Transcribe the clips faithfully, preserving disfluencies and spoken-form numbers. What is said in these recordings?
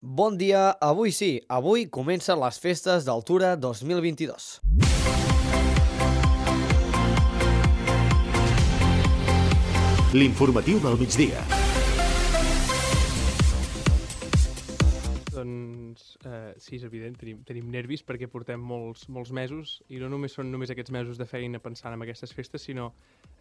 Bon dia, avui sí, avui comencen les festes d'Altura dos mil vint-i-dos. L'informatiu del migdia. Doncs eh, sí, és evident, tenim, tenim nervis perquè portem molts, molts mesos i no només són només aquests mesos de feina pensant en aquestes festes, sinó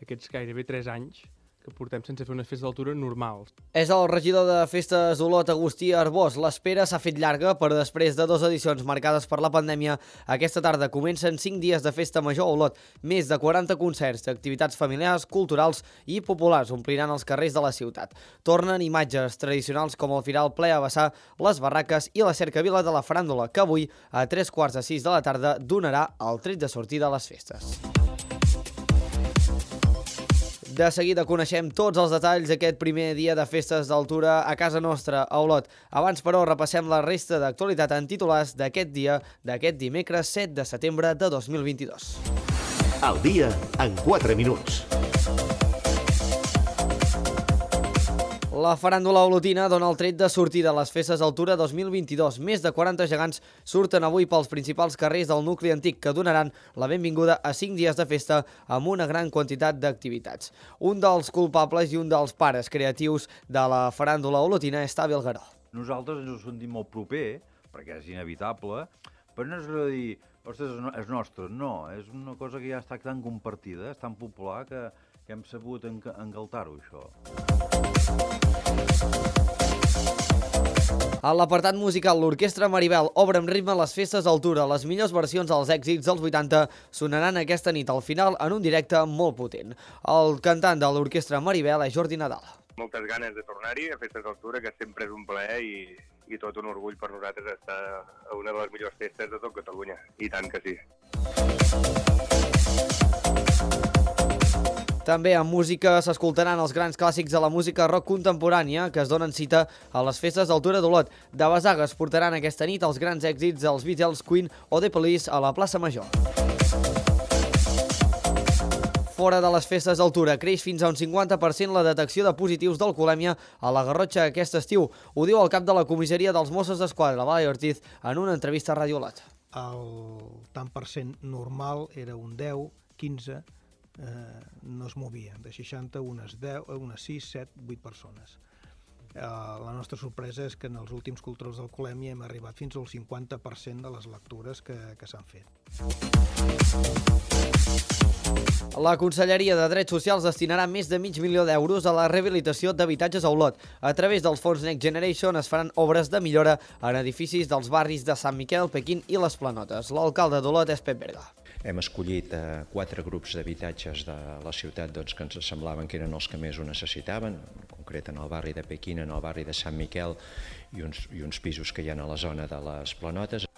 aquests gairebé tres anys que portem sense fer unes festes d'altura normals. És el regidor de festes d'Olot, Agustí Arbós. L'espera s'ha fet llarga, però després de dues edicions marcades per la pandèmia, aquesta tarda comencen cinc dies de festa major a Olot. Més de quaranta concerts d'activitats familiars, culturals i populars ompliran els carrers de la ciutat. Tornen imatges tradicionals com el firal ple a vessar, les barraques i la cercavila de la faràndula, que avui, a tres quarts de sis de la tarda, donarà el tret de sortida a les festes. De seguida coneixem tots els detalls d'aquest primer dia de festes d'altura a casa nostra, a Olot. Abans, però, repassem la resta d'actualitat en titulars d'aquest dia, d'aquest dimecres set de setembre de dos mil vint-i-dos. El dia en quatre minuts. La faràndula olotina dona el tret de sortida a les festes d'Altura dos mil vint-i-dos. Més de quaranta gegants surten avui pels principals carrers del nucli antic que donaran la benvinguda a cinc dies de festa amb una gran quantitat d'activitats. Un dels culpables i un dels pares creatius de la faràndula olotina és Tavi Algaró. Nosaltres ens ho sentim molt proper, perquè és inevitable, però no és dir, ostres, és nostre. No, és una cosa que ja està tan compartida, és tan popular que, que hem sabut engaltar-ho, això. A l'apartat musical, l'Orquestra Maribel obre amb ritme les festes d'Altura. Les millors versions dels èxits dels vuitanta sonaran aquesta nit al final en un directe molt potent. El cantant de l'Orquestra Maribel és Jordi Nadal. Moltes ganes de tornar-hi a festes d'Altura, que sempre és un plaer i, i tot un orgull per nosaltres estar a una de les millors festes de tot Catalunya. I tant que sí. També en música s'escoltaran els grans clàssics de la música rock contemporània que es donen cita a les festes d'Altura d'Olot. De Basaga es portaran aquesta nit els grans èxits dels Beatles, Queen o The Police a la plaça Major. Fora de les festes d'Altura creix fins a un cinquanta per cent la detecció de positius d'alcoholèmia a la Garrotxa aquest estiu. Ho diu el cap de la comissaria dels Mossos d'Esquadra, Blai Ortiz, en una entrevista a Ràdio Olot. El tant per cent normal era un deu, quinze, Eh, no es movia, de seixanta unes deu, unes sis, set, vuit persones. Eh, la nostra sorpresa és que en els últims controls d'alcoholèmia hem arribat fins al cinquanta per cent de les lectures que, que s'han fet. La Conselleria de Drets Socials destinarà més de mig milió d'euros a la rehabilitació d'habitatges a Olot. A través dels fons Next Generation es faran obres de millora en edificis dels barris de Sant Miquel, Pequín i les Planotes. L'alcalde d'Olot és Pep Berga. Hem escollit eh, quatre grups d'habitatges de la ciutat doncs, que ens semblaven que eren els que més ho necessitaven, en concret en el barri de Pequín, en el barri de Sant Miquel i uns, i uns pisos que hi ha a la zona de les Planotes.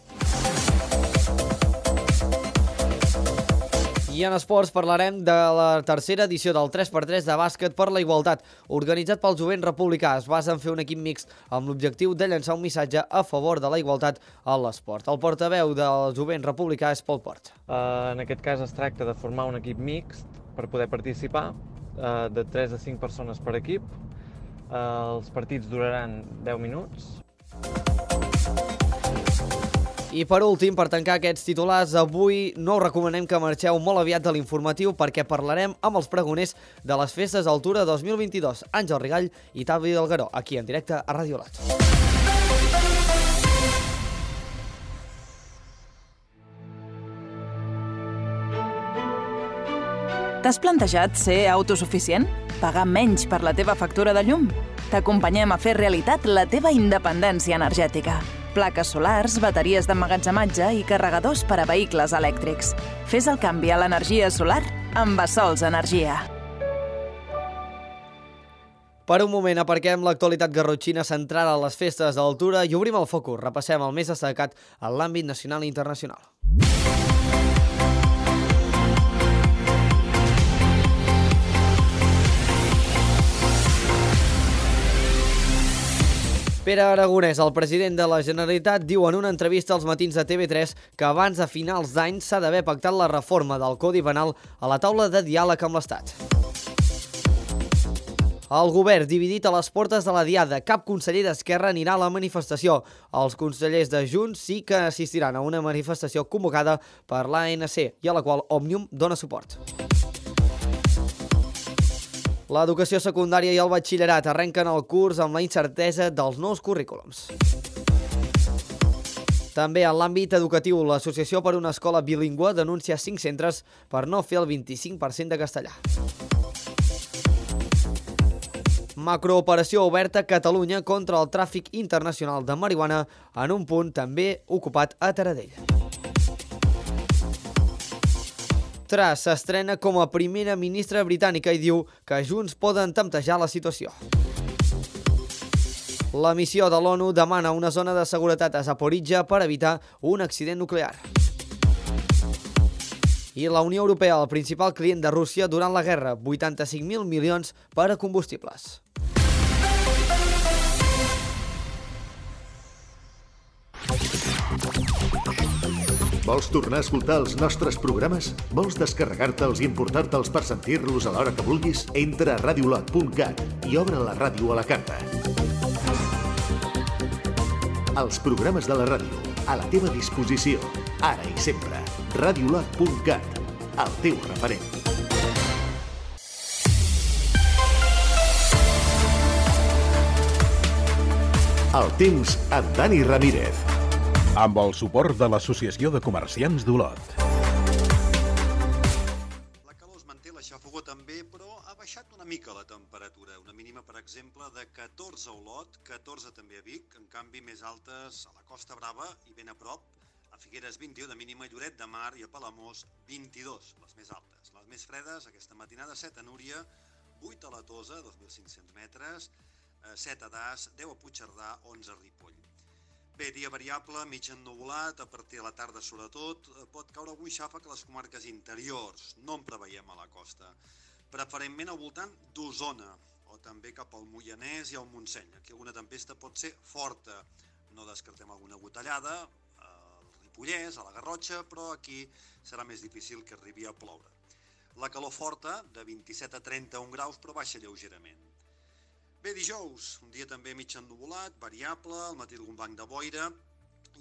I en esports parlarem de la tercera edició del tres per tres de bàsquet per la igualtat. Organitzat pel Jovent Republicà, es basa en fer un equip mixt amb l'objectiu de llançar un missatge a favor de la igualtat a l'esport. El portaveu del Jovent Republicà és Pol Port. Uh, en aquest cas es tracta de formar un equip mixt per poder participar, uh, de tres a cinc persones per equip. Uh, els partits duraran deu minuts. I per últim, per tancar aquests titulars, avui no us recomanem que marxeu molt aviat de l'informatiu perquè parlarem amb els pregoners de les festes d'Altura dos mil vint-i-dos, Àngel Rigall i Tavi Algaró, aquí en directe a Ràdio Olot. T'has plantejat ser autosuficient? Pagar menys per la teva factura de llum? T'acompanyem a fer realitat la teva independència energètica. Plaques solars, bateries d'emmagatzematge i carregadors per a vehicles elèctrics. Fes el canvi a l'energia solar amb Bassols Energia. Per un moment aparquem l'actualitat garrotxina centrada a les festes d'Altura i obrim el focus. Repassem el més destacat en l'àmbit nacional i internacional. Pere Aragonès, el president de la Generalitat, diu en una entrevista als matins de T V tres que abans de finals d'any s'ha d'haver pactat la reforma del Codi Penal a la taula de diàleg amb l'Estat. El govern dividit a les portes de la Diada. Cap conseller d'Esquerra anirà a la manifestació. Els consellers de Junts sí que assistiran a una manifestació convocada per l'A N C i a la qual Òmnium dona suport. L'educació secundària i el batxillerat arrenquen el curs amb la incertesa dels nous currículums. També en l'àmbit educatiu, l'Associació per una Escola Bilingüe denuncia cinc centres per no fer el vint-i-cinc per cent de castellà. Macrooperació oberta a Catalunya contra el tràfic internacional de marihuana en un punt també ocupat a Taradell. Truss s'estrena com a primera ministra britànica i diu que Junts poden temptejar la situació. La missió de l'ONU demana una zona de seguretat a Zaporizhia per evitar un accident nuclear. I la Unió Europea, el principal client de Rússia durant la guerra, vuitanta-cinc mil milions per a combustibles. Vols tornar a escoltar els nostres programes? Vols descarregar-te'ls i importar-te'ls per sentir-los a l'hora que vulguis? Entra a radiolot punt cat i obre la ràdio a la carta. Els programes de la ràdio, a la teva disposició, ara i sempre. radiolot punt cat, el teu referent. El temps amb Dani Ramírez. Amb el suport de l'Associació de Comerciants d'Olot. La calor es manté, la xafogó també, però ha baixat una mica la temperatura. Una mínima, per exemple, de catorze a Olot, catorze també a Vic, en canvi més altes a la Costa Brava i ben a prop, a Figueres vint-i-u de mínima, Lloret de Mar i a Palamós vint-i-dos, les més altes. Les més fredes, aquesta matinada, set a Núria, vuit a la Tosa, dos mil cinc-cents metres, set a Das, deu a Puigcerdà, onze a Ripoll. Bé, dia variable, mig ennuvolat, a partir de la tarda sobretot, pot caure algun xàfec a les comarques interiors, no en preveiem a la costa. Preferentment al voltant d'Osona, o també cap al Moianès i al Montseny. Aquí alguna tempesta pot ser forta, no descartem alguna gotellada, al Ripollès, a la Garrotxa, però aquí serà més difícil que arribi a ploure. La calor forta, de vint-i-set a trenta-un graus, però baixa lleugerament. Bé, dijous, un dia també mig ennuvolat, variable, al matí algun banc de boira,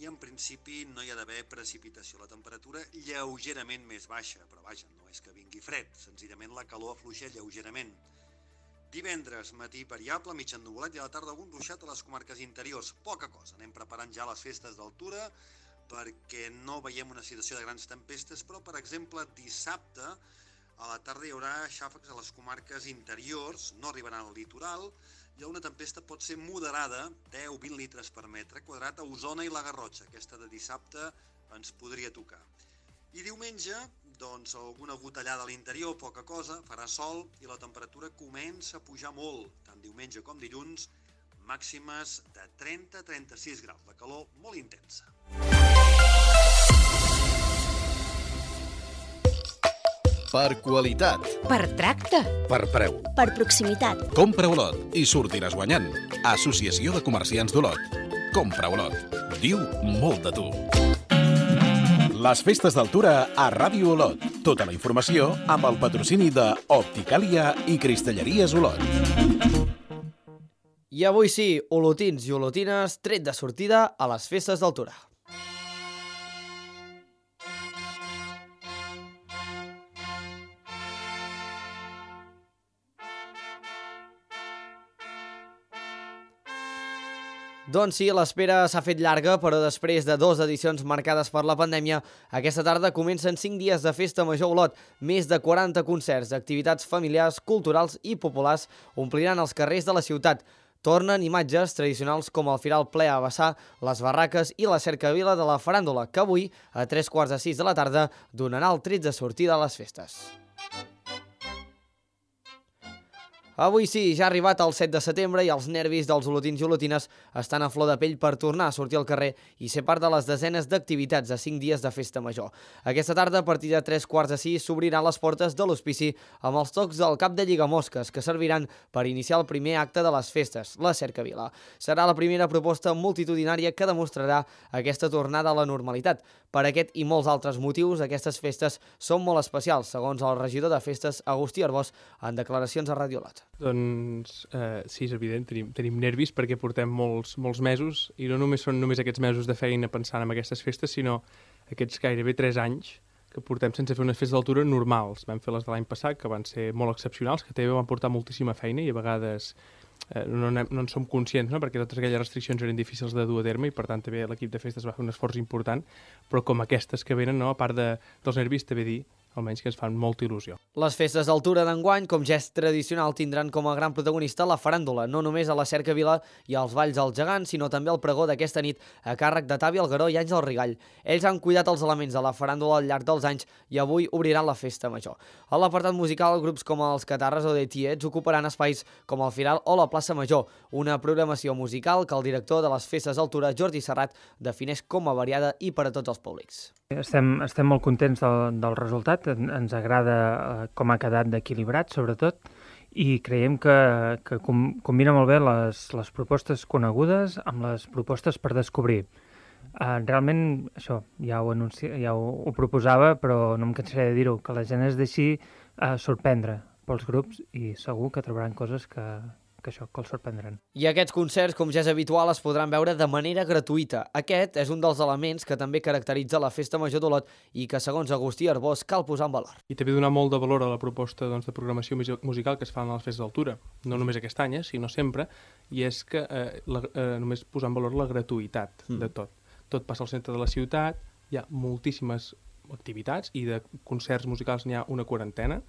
i en principi no hi ha d'haver precipitació. La temperatura lleugerament més baixa, però vaja, no és que vingui fred, senzillament la calor afluixa lleugerament. Divendres, matí variable, mig ennuvolat i a la tarda algun ruixat a les comarques interiors. Poca cosa, anem preparant ja les festes d'altura perquè no veiem una situació de grans tempestes, però per exemple dissabte a la tarda hi haurà xàfecs a les comarques interiors, no arribaran al litoral, i una tempesta pot ser moderada, deu a vint litres per metre quadrat a Osona i la Garrotxa. Aquesta de dissabte ens podria tocar. I diumenge, doncs, alguna gotellada a l'interior, poca cosa, farà sol i la temperatura comença a pujar molt, tant diumenge com dilluns, màximes de trenta a trenta-sis graus, de calor molt intensa. Per qualitat. Per tracte. Per preu. Per proximitat. Compra Olot i sortiràs guanyant. Associació de Comerciants d'Olot. Compra Olot. Diu molt de tu. Les festes d'altura a Ràdio Olot. Tota la informació amb el patrocini de Opticàlia i Cristalleries Olot. I avui sí, olotins i olotines, tret de sortida a les festes d'altura. Doncs sí, l'espera s'ha fet llarga, però després de dues edicions marcades per la pandèmia, aquesta tarda comencen cinc dies de festa major a Olot. Més de quaranta concerts, activitats familiars, culturals i populars ompliran els carrers de la ciutat. Tornen imatges tradicionals com el Firal ple a vessar, les barraques i la cercavila de la faràndula, que avui, a tres quarts de sis de la tarda, donarà el tret de sortida a les festes. Avui sí, ja ha arribat el set de setembre i els nervis dels olotins i olotines estan a flor de pell per tornar a sortir al carrer i ser part de les desenes d'activitats de cinc dies de festa major. Aquesta tarda, a partir de tres quarts de sis, s'obriran les portes de l'hospici amb els tocs del cap de lligamosques que serviran per iniciar el primer acte de les festes, la cercavila. Serà la primera proposta multitudinària que demostrarà aquesta tornada a la normalitat. Per aquest i molts altres motius, aquestes festes són molt especials, segons el regidor de festes, Agustí Arbós, en declaracions a Ràdio Olot. Doncs eh, sí, és evident, tenim, tenim nervis perquè portem molts, molts mesos i no només són només aquests mesos de feina pensant en aquestes festes, sinó aquests gairebé tres anys que portem sense fer unes festes d'altura normals. Vam fer les de l'any passat, que van ser molt excepcionals, que també van portar moltíssima feina i a vegades eh, no, no en som conscients, no? Perquè totes aquelles restriccions eren difícils de dur a terme i per tant també l'equip de festes va fer un esforç important, però com aquestes que venen, no? A part de, dels nervis, també dir almenys que ens fan molta il·lusió. Les festes d'altura d'enguany, com ja és tradicional, tindran com a gran protagonista la faràndula, no només a la Cercavila i als Valls al Gegant, sinó també al pregó d'aquesta nit a càrrec de Tavi Algueró i Àngel Rigall. Ells han cuidat els elements de la faràndula al llarg dels anys i avui obriran la festa major. A l'apartat musical, grups com els Catarres o The Tiets ocuparan espais com el Firal o la plaça Major, una programació musical que el director de les festes d'altura, Jordi Serrat, defineix com a variada i per a tots els públics. Estem, estem molt contents del, del resultat, ens agrada eh, com ha quedat d'equilibrat, sobretot, i creiem que, que com, combina molt bé les, les propostes conegudes amb les propostes per descobrir. Eh, realment, això, ja ho, anunci, ja ho, ho proposava, però no em cansaré de dir-ho, que la gent es deixi eh, sorprendre pels grups i segur que trobaran coses que... que això, que els sorprendran. I aquests concerts, com ja és habitual, es podran veure de manera gratuïta. Aquest és un dels elements que també caracteritza la Festa Major d'Olot i que, segons Agustí Arbós, cal posar en valor. I també donar molt de valor a la proposta doncs, de programació musical que es fan a les festes d'altura. No només aquest any, eh, sinó sempre, i és que eh, la, eh, només posar en valor la gratuïtat mm. de tot. Tot passa al centre de la ciutat, hi ha moltíssimes activitats i de concerts musicals n'hi ha una quarantena,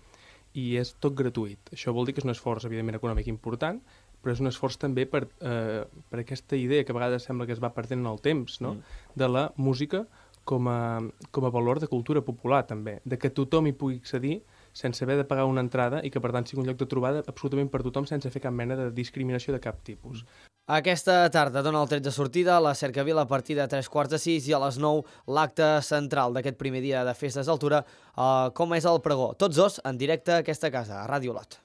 i és tot gratuït. Això vol dir que és un esforç, evidentment, econòmic important, però és un esforç també per, eh, per aquesta idea que a vegades sembla que es va perdent en el temps, no? Mm. De la música com a, com a valor de cultura popular, també. De que tothom hi pugui accedir sense haver de pagar una entrada i que, per tant, sigui un lloc de trobada absolutament per tothom sense fer cap mena de discriminació de cap tipus. Aquesta tarda dona el tret de sortida a la Cercavila a partir de tres quarts de sis i a les nou l'acte central d'aquest primer dia de festes d'altura, eh, com és el pregó. Tots dos en directe a aquesta casa, a Ràdio Olot.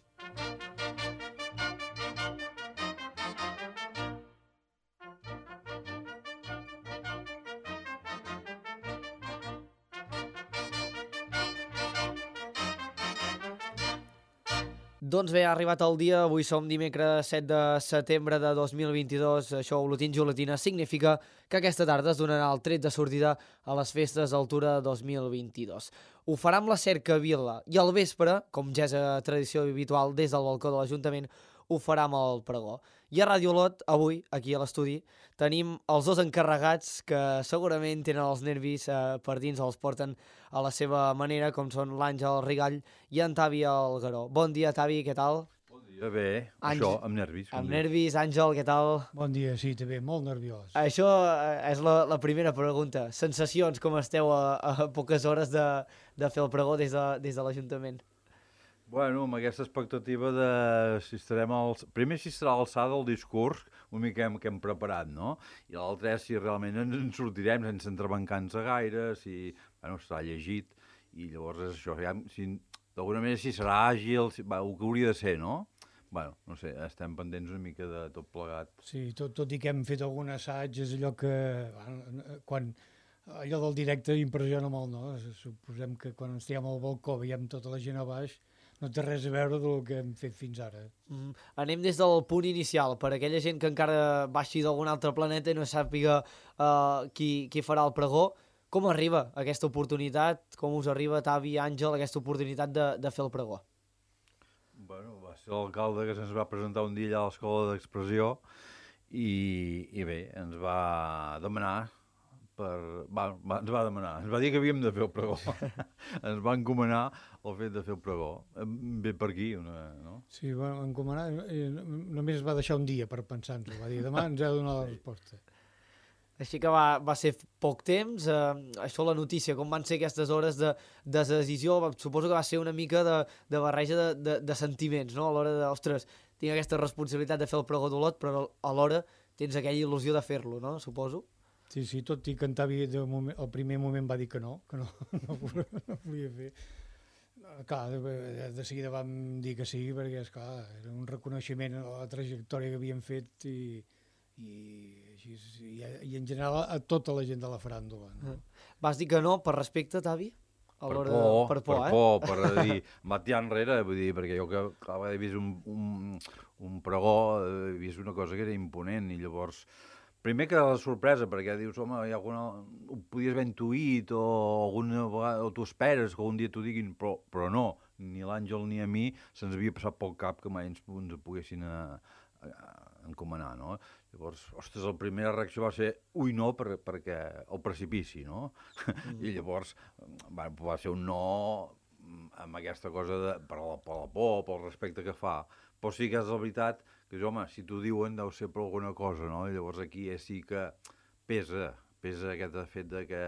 Doncs bé, ha arribat el dia, avui som dimecres set de setembre de dos mil vint-i-dos, això Olotins i Olotines significa que aquesta tarda es donarà el tret de sortida a les festes d'altura dos mil vint-i-dos. Ho farà amb la Cercavila i al vespre, com ja és a tradició habitual des del balcó de l'Ajuntament, ho farà amb el pregó. I a Ràdio Olot, avui, aquí a l'estudi, tenim els dos encarregats que segurament tenen els nervis eh, per dins, els porten a la seva manera, com són l'Àngel Rigall i en Tavi Algueró. Bon dia, Tavi, què tal? Bon dia, bé. Àngel... Això, amb nervis. Amb nervis, Àngel, què tal? Bon dia, sí, també, molt nerviós. Això és la, la primera pregunta. Sensacions, com esteu a, a poques hores de, de fer el pregó des de, des de l'Ajuntament? Bueno, amb aquesta expectativa de si estarem als... Primer, si serà alçada el discurs, una mica que hem, que hem preparat, no? I l'altre és si realment ens en sortirem sense entrebancar-nos gaire, si... Bueno, estarà llegit, i llavors és això, ja, si, d'alguna manera si serà àgil, si, va, el que hauria de ser, no? Bueno, no sé, estem pendents una mica de tot plegat. Sí, tot, tot i que hem fet algun assaig, és allò que... Quan... Allò del directe impressiona molt, no? Suposem que quan ens tirem al balcó veiem tota la gent a baix, no té res a veure del que hem fet fins ara. Mm. Anem des del punt inicial, per aquella gent que encara baixi d'algun altre planeta i no sàpiga uh, qui, qui farà el pregó. Com arriba aquesta oportunitat? Com us arriba, Tavi i Àngel, aquesta oportunitat de, de fer el pregó? Bueno, va ser l'alcalde que se'ns va presentar un dia allà a l'Escola d'Expressió i, i bé, ens va demanar Per, va, va, ens va demanar, ens va dir que havíem de fer el pregó. Ens va encomanar el fet de fer el pregó. Ve per aquí, una, no? Sí, va encomanar, eh, només es va deixar un dia per pensar-nos, va dir, demà ens ha de donar la resposta. Així que va, va ser poc temps, eh, això la notícia, com van ser aquestes hores de, de decisió, suposo que va ser una mica de, de barreja de, de, de sentiments, no? A l'hora de, ostres, tinc aquesta responsabilitat de fer el pregó d'Olot, però alhora tens aquella il·lusió de fer-lo, no? Suposo. Sí, sí, tot i que en Tavi moment, el primer moment va dir que no, que no, no, no volia fer. Clar, de, de seguida vam dir que sí, perquè esclar, era un reconeixement a la trajectòria que havíem fet i, i, així, i, i en general a tota la gent de la faràndula. No? Vas dir que no per respecte, Tavi? a l'hora de... Per por, per eh? por, per dir, em va tirar enrere, vull dir, perquè jo que clar, he vist un, un, un pregó, he vist una cosa que era imponent, i llavors, primer que la sorpresa, perquè dius, home, hi ha alguna... ho podies haver intuït, o alguna vegada, o t'ho esperes que algun dia t'ho diguin, però, però no, ni l'Àngel ni a mi se'ns havia passat pel cap que mai ens, ens poguessin a, a, a encomanar, no? Llavors, ostres, la primera reacció va ser ui, no, per, perquè el precipici, no? Mm. I llavors va, va ser un no amb aquesta cosa de, per, la, per la por, pel respecte que fa. Però sí que és la veritat que, home, si t'ho diuen deu ser per alguna cosa, no? I llavors aquí és sí que pesa, pesa aquest fet de que,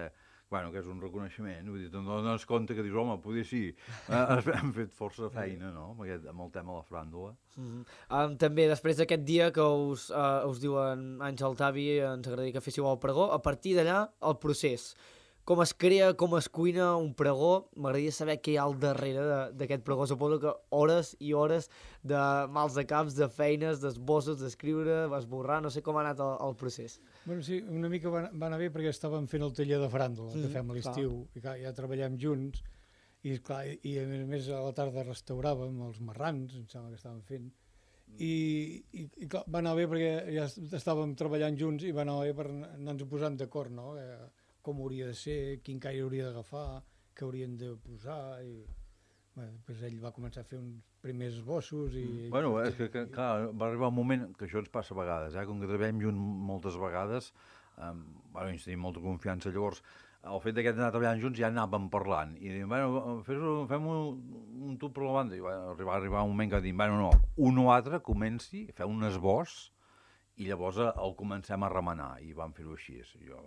bueno, que és un reconeixement, vull dir, te'n dones compte que dius, home, poder sí, hem fet força feina, no?, amb, aquest, amb el tema de la fràndula. Mm-hmm. um, també, després d'aquest dia que us, uh, us diuen Àngel, Tavi, ens agradaria que féssiu el pregó, a partir d'allà, el procés. Com es crea, com es cuina un pregó, m'agradaria saber què hi ha al darrere d'aquest pregó. Suposo que hores i hores de mals de caps, de feines, d'esbossos, d'escriure, esborrar, no sé com ha anat el, el procés. Bueno, sí, una mica va, va anar bé perquè estàvem fent el taller de faràndula, mm, que fem a l'estiu, i clar, ja treballem junts, i, clar, i a més a més a la tarda restauràvem els marrans, em sembla que estàvem fent, i, i, i clar, va anar bé perquè ja estàvem treballant junts i va anar bé per anar-nos posant d'acord, no?, eh, com hauria de ser, quin caire hauria d'agafar, què haurien de posar, i bueno, després ell va començar a fer uns primers esbossos i... Mm. Bueno, és que, que clar, va arribar un moment que això ens passa a vegades, eh? Com que treballem junts moltes vegades, eh, bueno, ens tenim molta confiança, llavors el fet d'aquest anar treballant junts ja anàvem parlant, i diem, bueno, fem un, un tub per la banda, i va arribar, arribar un moment que diem, bueno, no, un o altre comenci, feu un esbós, i llavors el comencem a remenar, i vam fer-ho així. Jo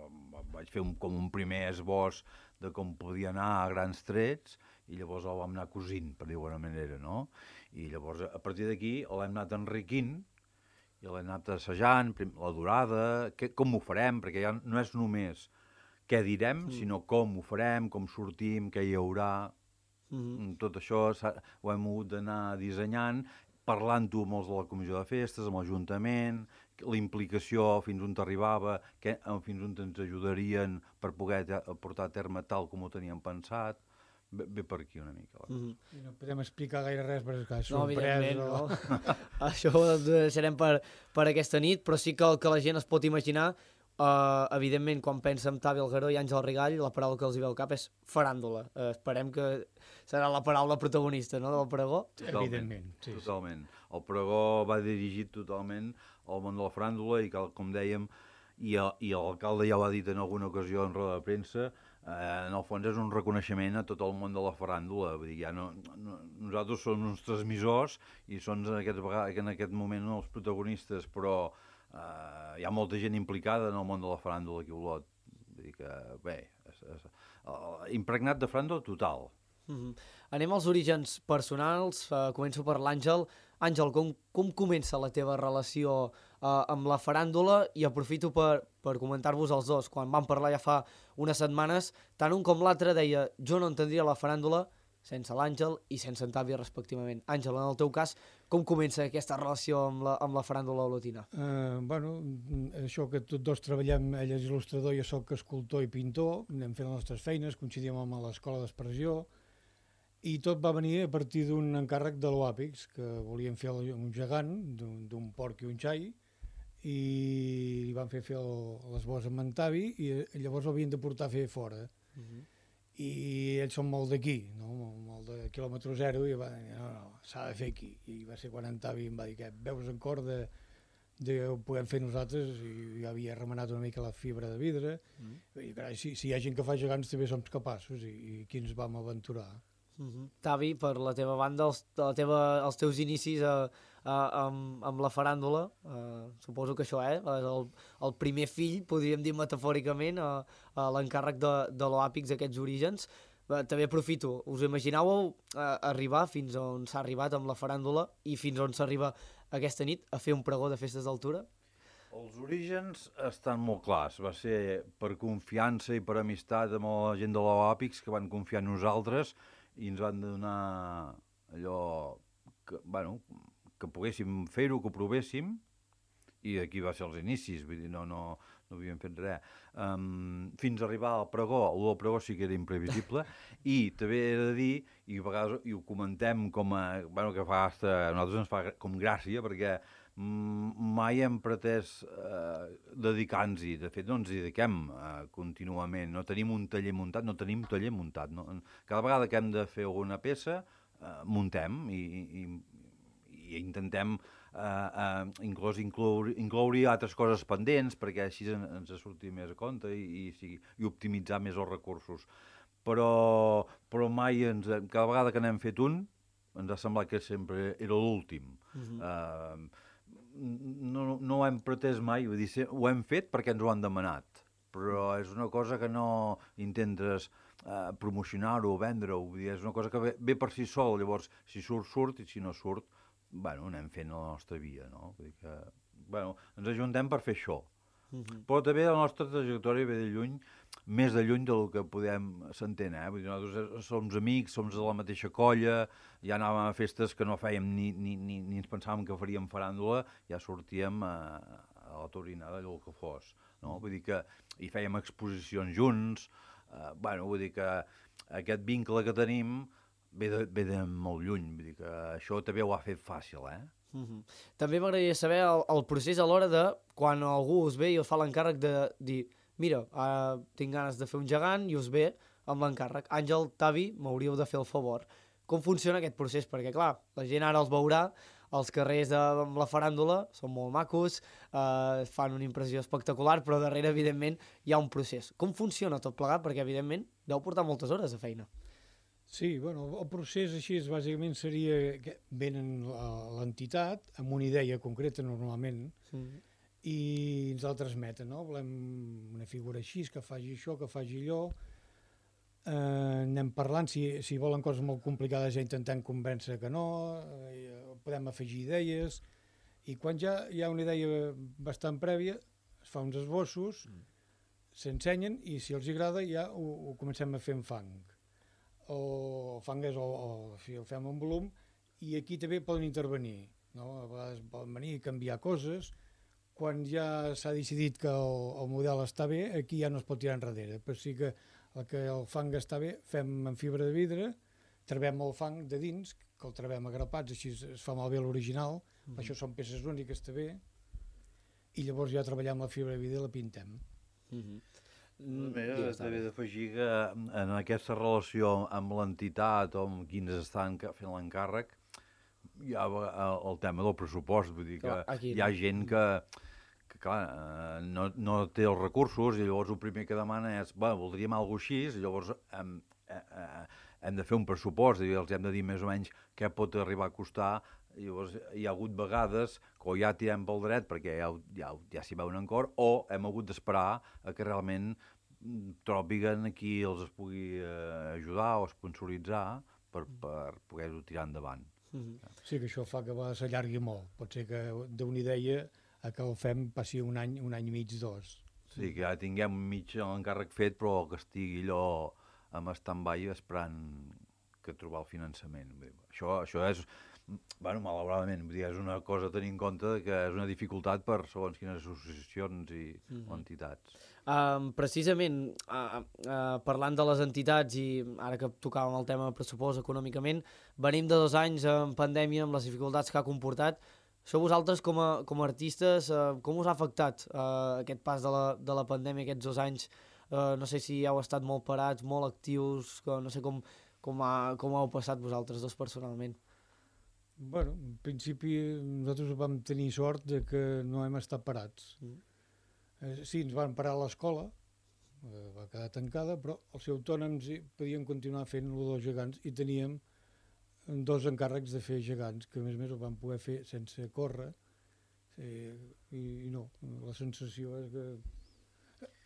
vaig fer un, com un primer esbós de com podia anar a grans trets, i llavors el vam anar cosint, per dir-ho d'alguna manera, no? I llavors, a partir d'aquí, l'hem anat enriquint, i l'hem anat assajant, la durada, que, com ho farem, perquè ja no és només què direm, mm. sinó com ho farem, com sortim, què hi haurà... Mm-hmm. Tot això ho hem hagut d'anar dissenyant, parlant-ho amb els de la comissió de festes, amb l'Ajuntament, la implicació fins on t'arribava, fins on ens ajudarien per poder portar a terme tal com ho teníem pensat. Ve, ve per aquí una mica. Mm-hmm. I no podem explicar gaire res, perquè és no, sorprès. No, no. Això ho deixarem per, per aquesta nit, però sí que el que la gent es pot imaginar, uh, evidentment, quan pensa en Tavi Algueró i Àngel Rigall, la paraula que els hi ve al cap és faràndula. Uh, esperem que serà la paraula protagonista, no?, del pregó. Totalment, evidentment. Sí, totalment. Sí. El pregó va dirigit totalment al món de la faràndula i, com dèiem, i, i l'alcalde ja ho ha dit en alguna ocasió en roda de premsa, eh, en el fons és un reconeixement a tot el món de la faràndula. Vull dir, ja no, no, nosaltres som uns transmissors i són en aquest, en aquest moment els protagonistes, però eh, hi ha molta gent implicada en el món de la faràndula aquí a Olot. Vull dir que, bé, és, és, uh, impregnat de faràndula total. Mm-hmm. Anem als orígens personals, uh, començo per l'Àngel. Àngel, com, com comença la teva relació uh, amb la faràndula? I aprofito per, per comentar-vos els dos. Quan vam parlar ja fa unes setmanes, tant un com l'altre deia jo no entendria la faràndula sense l'Àngel i sense en Tavi, respectivament. Àngel, en el teu cas, com comença aquesta relació amb la, amb la faràndula olotina? Uh, bueno, això que tots dos treballem, ell és il·lustrador, jo soc escultor i pintor, anem fent les nostres feines, coincidim amb l'escola d'expressió, i tot va venir a partir d'un encàrrec de l'Oàpix, que volien fer un gegant d'un porc i un xai, i li van fer fer l'esbós amb en Tavi, i llavors l'havien de portar a fer fora. Uh-huh. I ells són molt d'aquí, no? Molt de quilòmetre zero, i va dir, no, no, s'ha de fer aquí. I va ser quan en Tavi em va dir que veus en cor de, de ho podem fer nosaltres, i jo havia remenat una mica la fibra de vidre, uh-huh. i carai, si, si hi ha gent que fa gegants també som capaços, i, i aquí ens vam aventurar. Uh-huh. Tavi, per la teva banda, els, la teva, els teus inicis a, a, amb, amb la faràndula, uh, suposo que això, eh? El, el primer fill, podríem dir metafòricament, a, a l'encàrrec de, de l'Oàpix, aquests orígens. Uh, també aprofito, us imaginàveu uh, arribar fins on s'ha arribat amb la faràndula i fins on s'arriba aquesta nit a fer un pregó de festes d'altura? Els orígens estan molt clars. Va ser per confiança i per amistat amb la gent de l'Oàpix que van confiar en nosaltres i ens van donar allò que, bueno, que poguéssim fer-ho, que ho provéssim, i aquí va ser els inicis. Vull dir, no, no, no havíem fet res. Um, fins a arribar al pregó, el pregó sí que era imprevisible, i també he de dir, i a vegades i ho comentem com a... Bueno, que fa hasta, a nosaltres ens fa com gràcia, perquè mai hem pretès eh, dedicar-nos-hi. De fet, no ens hi dediquem eh, contínuament. No tenim un taller muntat, no tenim taller muntat. No? Cada vegada que hem de fer alguna peça, eh, muntem i, i, i intentem eh, eh, inclús incloure, incloure altres coses pendents perquè així ens surti més a compte i, i, i optimitzar més els recursos. Però, però mai, ens, cada vegada que n'hem fet un, ens ha semblat que sempre era l'últim. Uh-huh. eh, no, no ho hem pretès mai, vull dir, ho hem fet perquè ens ho han demanat, però és una cosa que no intentes eh, promocionar-ho o vendre-ho, vull dir, és una cosa que ve, ve per si sol, llavors si surt, surt, i si no surt, bueno, anem fent la nostra via, no? Vull dir que, bueno, ens ajuntem per fer això. Uh-huh. Però també la nostra trajectòria ve de lluny, més de lluny del que podem s'entén, eh? Vull dir, nosaltres som amics, som de la mateixa colla, ja anàvem a festes que no fèiem ni, ni, ni, ni ens pensàvem que faríem faràndula, ja sortíem a, a la Taurinada, allò que fos, no? Vull dir que hi fèiem exposicions junts, eh, bueno, vull dir que aquest vincle que tenim ve de, ve de molt lluny, vull dir que això també ho ha fet fàcil, eh? Uh-huh. També m'agradaria saber el, el procés a l'hora de quan algú us ve i us fa l'encàrrec de dir mira, uh, tinc ganes de fer un gegant i us ve amb l'encàrrec. Àngel, Tavi, m'hauríeu de fer el favor. Com funciona aquest procés? Perquè, clar, la gent ara els veurà, els carrers de, amb la faràndula són molt macos, uh, fan una impressió espectacular, però darrere, evidentment, hi ha un procés. Com funciona tot plegat? Perquè, evidentment, deu portar moltes hores de feina. Sí, bueno, el procés així bàsicament seria que venen l'entitat amb una idea concreta normalment sí. I ens la transmeten, no? Volem una figura així, que faci això, que faci allò. Eh, anem parlant, si, si volen coses molt complicades ja intentem convèncer que no, eh, podem afegir idees, i quan ja hi ha una idea bastant prèvia, es fa uns esbossos, mm. s'ensenyen i si els agrada ja ho, ho comencem a fer en fang. O fangues o, o si el fem en volum, i aquí també poden intervenir, no? A vegades poden venir i canviar coses. Quan ja s'ha decidit que el, el model està bé, aquí ja no es pot tirar enrere, però sí que el que el fang està bé, fem en fibra de vidre, trebem el fang de dins, que el trebem a grapats, així es fa malbé l'original, mm-hmm. això són peces úniques també, i llavors ja treballem la fibra de vidre i la pintem. Mm-hmm. També s'ha d'afegir que en aquesta relació amb l'entitat o amb qui ens estan fent l'encàrrec hi ha el tema del pressupost, vull dir que clar, hi ha gent que, que clar, no, no té els recursos i llavors el primer que demana és bueno, voldríem alguna cosa així, i llavors hem, eh, hem de fer un pressupost i els hem de dir més o menys què pot arribar a costar. I llavors hi ha hagut vegades que o ja tirem pel dret perquè ja, ja, ja s'hi veuen en cor, o hem hagut d'esperar a que realment tròpiguen a qui els es pugui eh, ajudar o sponsoritzar per, per poder-ho tirar endavant. Mm-hmm. Sí, que això fa que va s'allargui molt. Pot ser que d'una idea a que el fem passi un any, un any i mig, dos. Sí, que ja tinguem mig l'encàrrec fet, però que estigui allò amb stand-by esperant que trobar el finançament. Això, això és... Bueno, malauradament, vull dir, és una cosa a tenir en compte que és una dificultat per segons quines associacions i mm-hmm. entitats. Um, precisament, uh, uh, parlant de les entitats i ara que tocàvem el tema pressupost econòmicament, venim de dos anys en pandèmia amb les dificultats que ha comportat. Això vosaltres com a, com a artistes, uh, com us ha afectat uh, aquest pas de la, de la pandèmia, aquests dos anys? Uh, no sé si heu estat molt parats, molt actius, que no sé com, com, ha, com heu passat vosaltres dos personalment. Bueno, en principi nosaltres vam tenir sort de que no hem estat parats. Mm. Eh, sí, ens van parar a l'escola, eh, va quedar tancada, però els autònoms podien continuar fent el dels gegants i teníem dos encàrrecs de fer gegants, que a més a més ho vam poder fer sense córrer, eh, i, i no, la sensació és que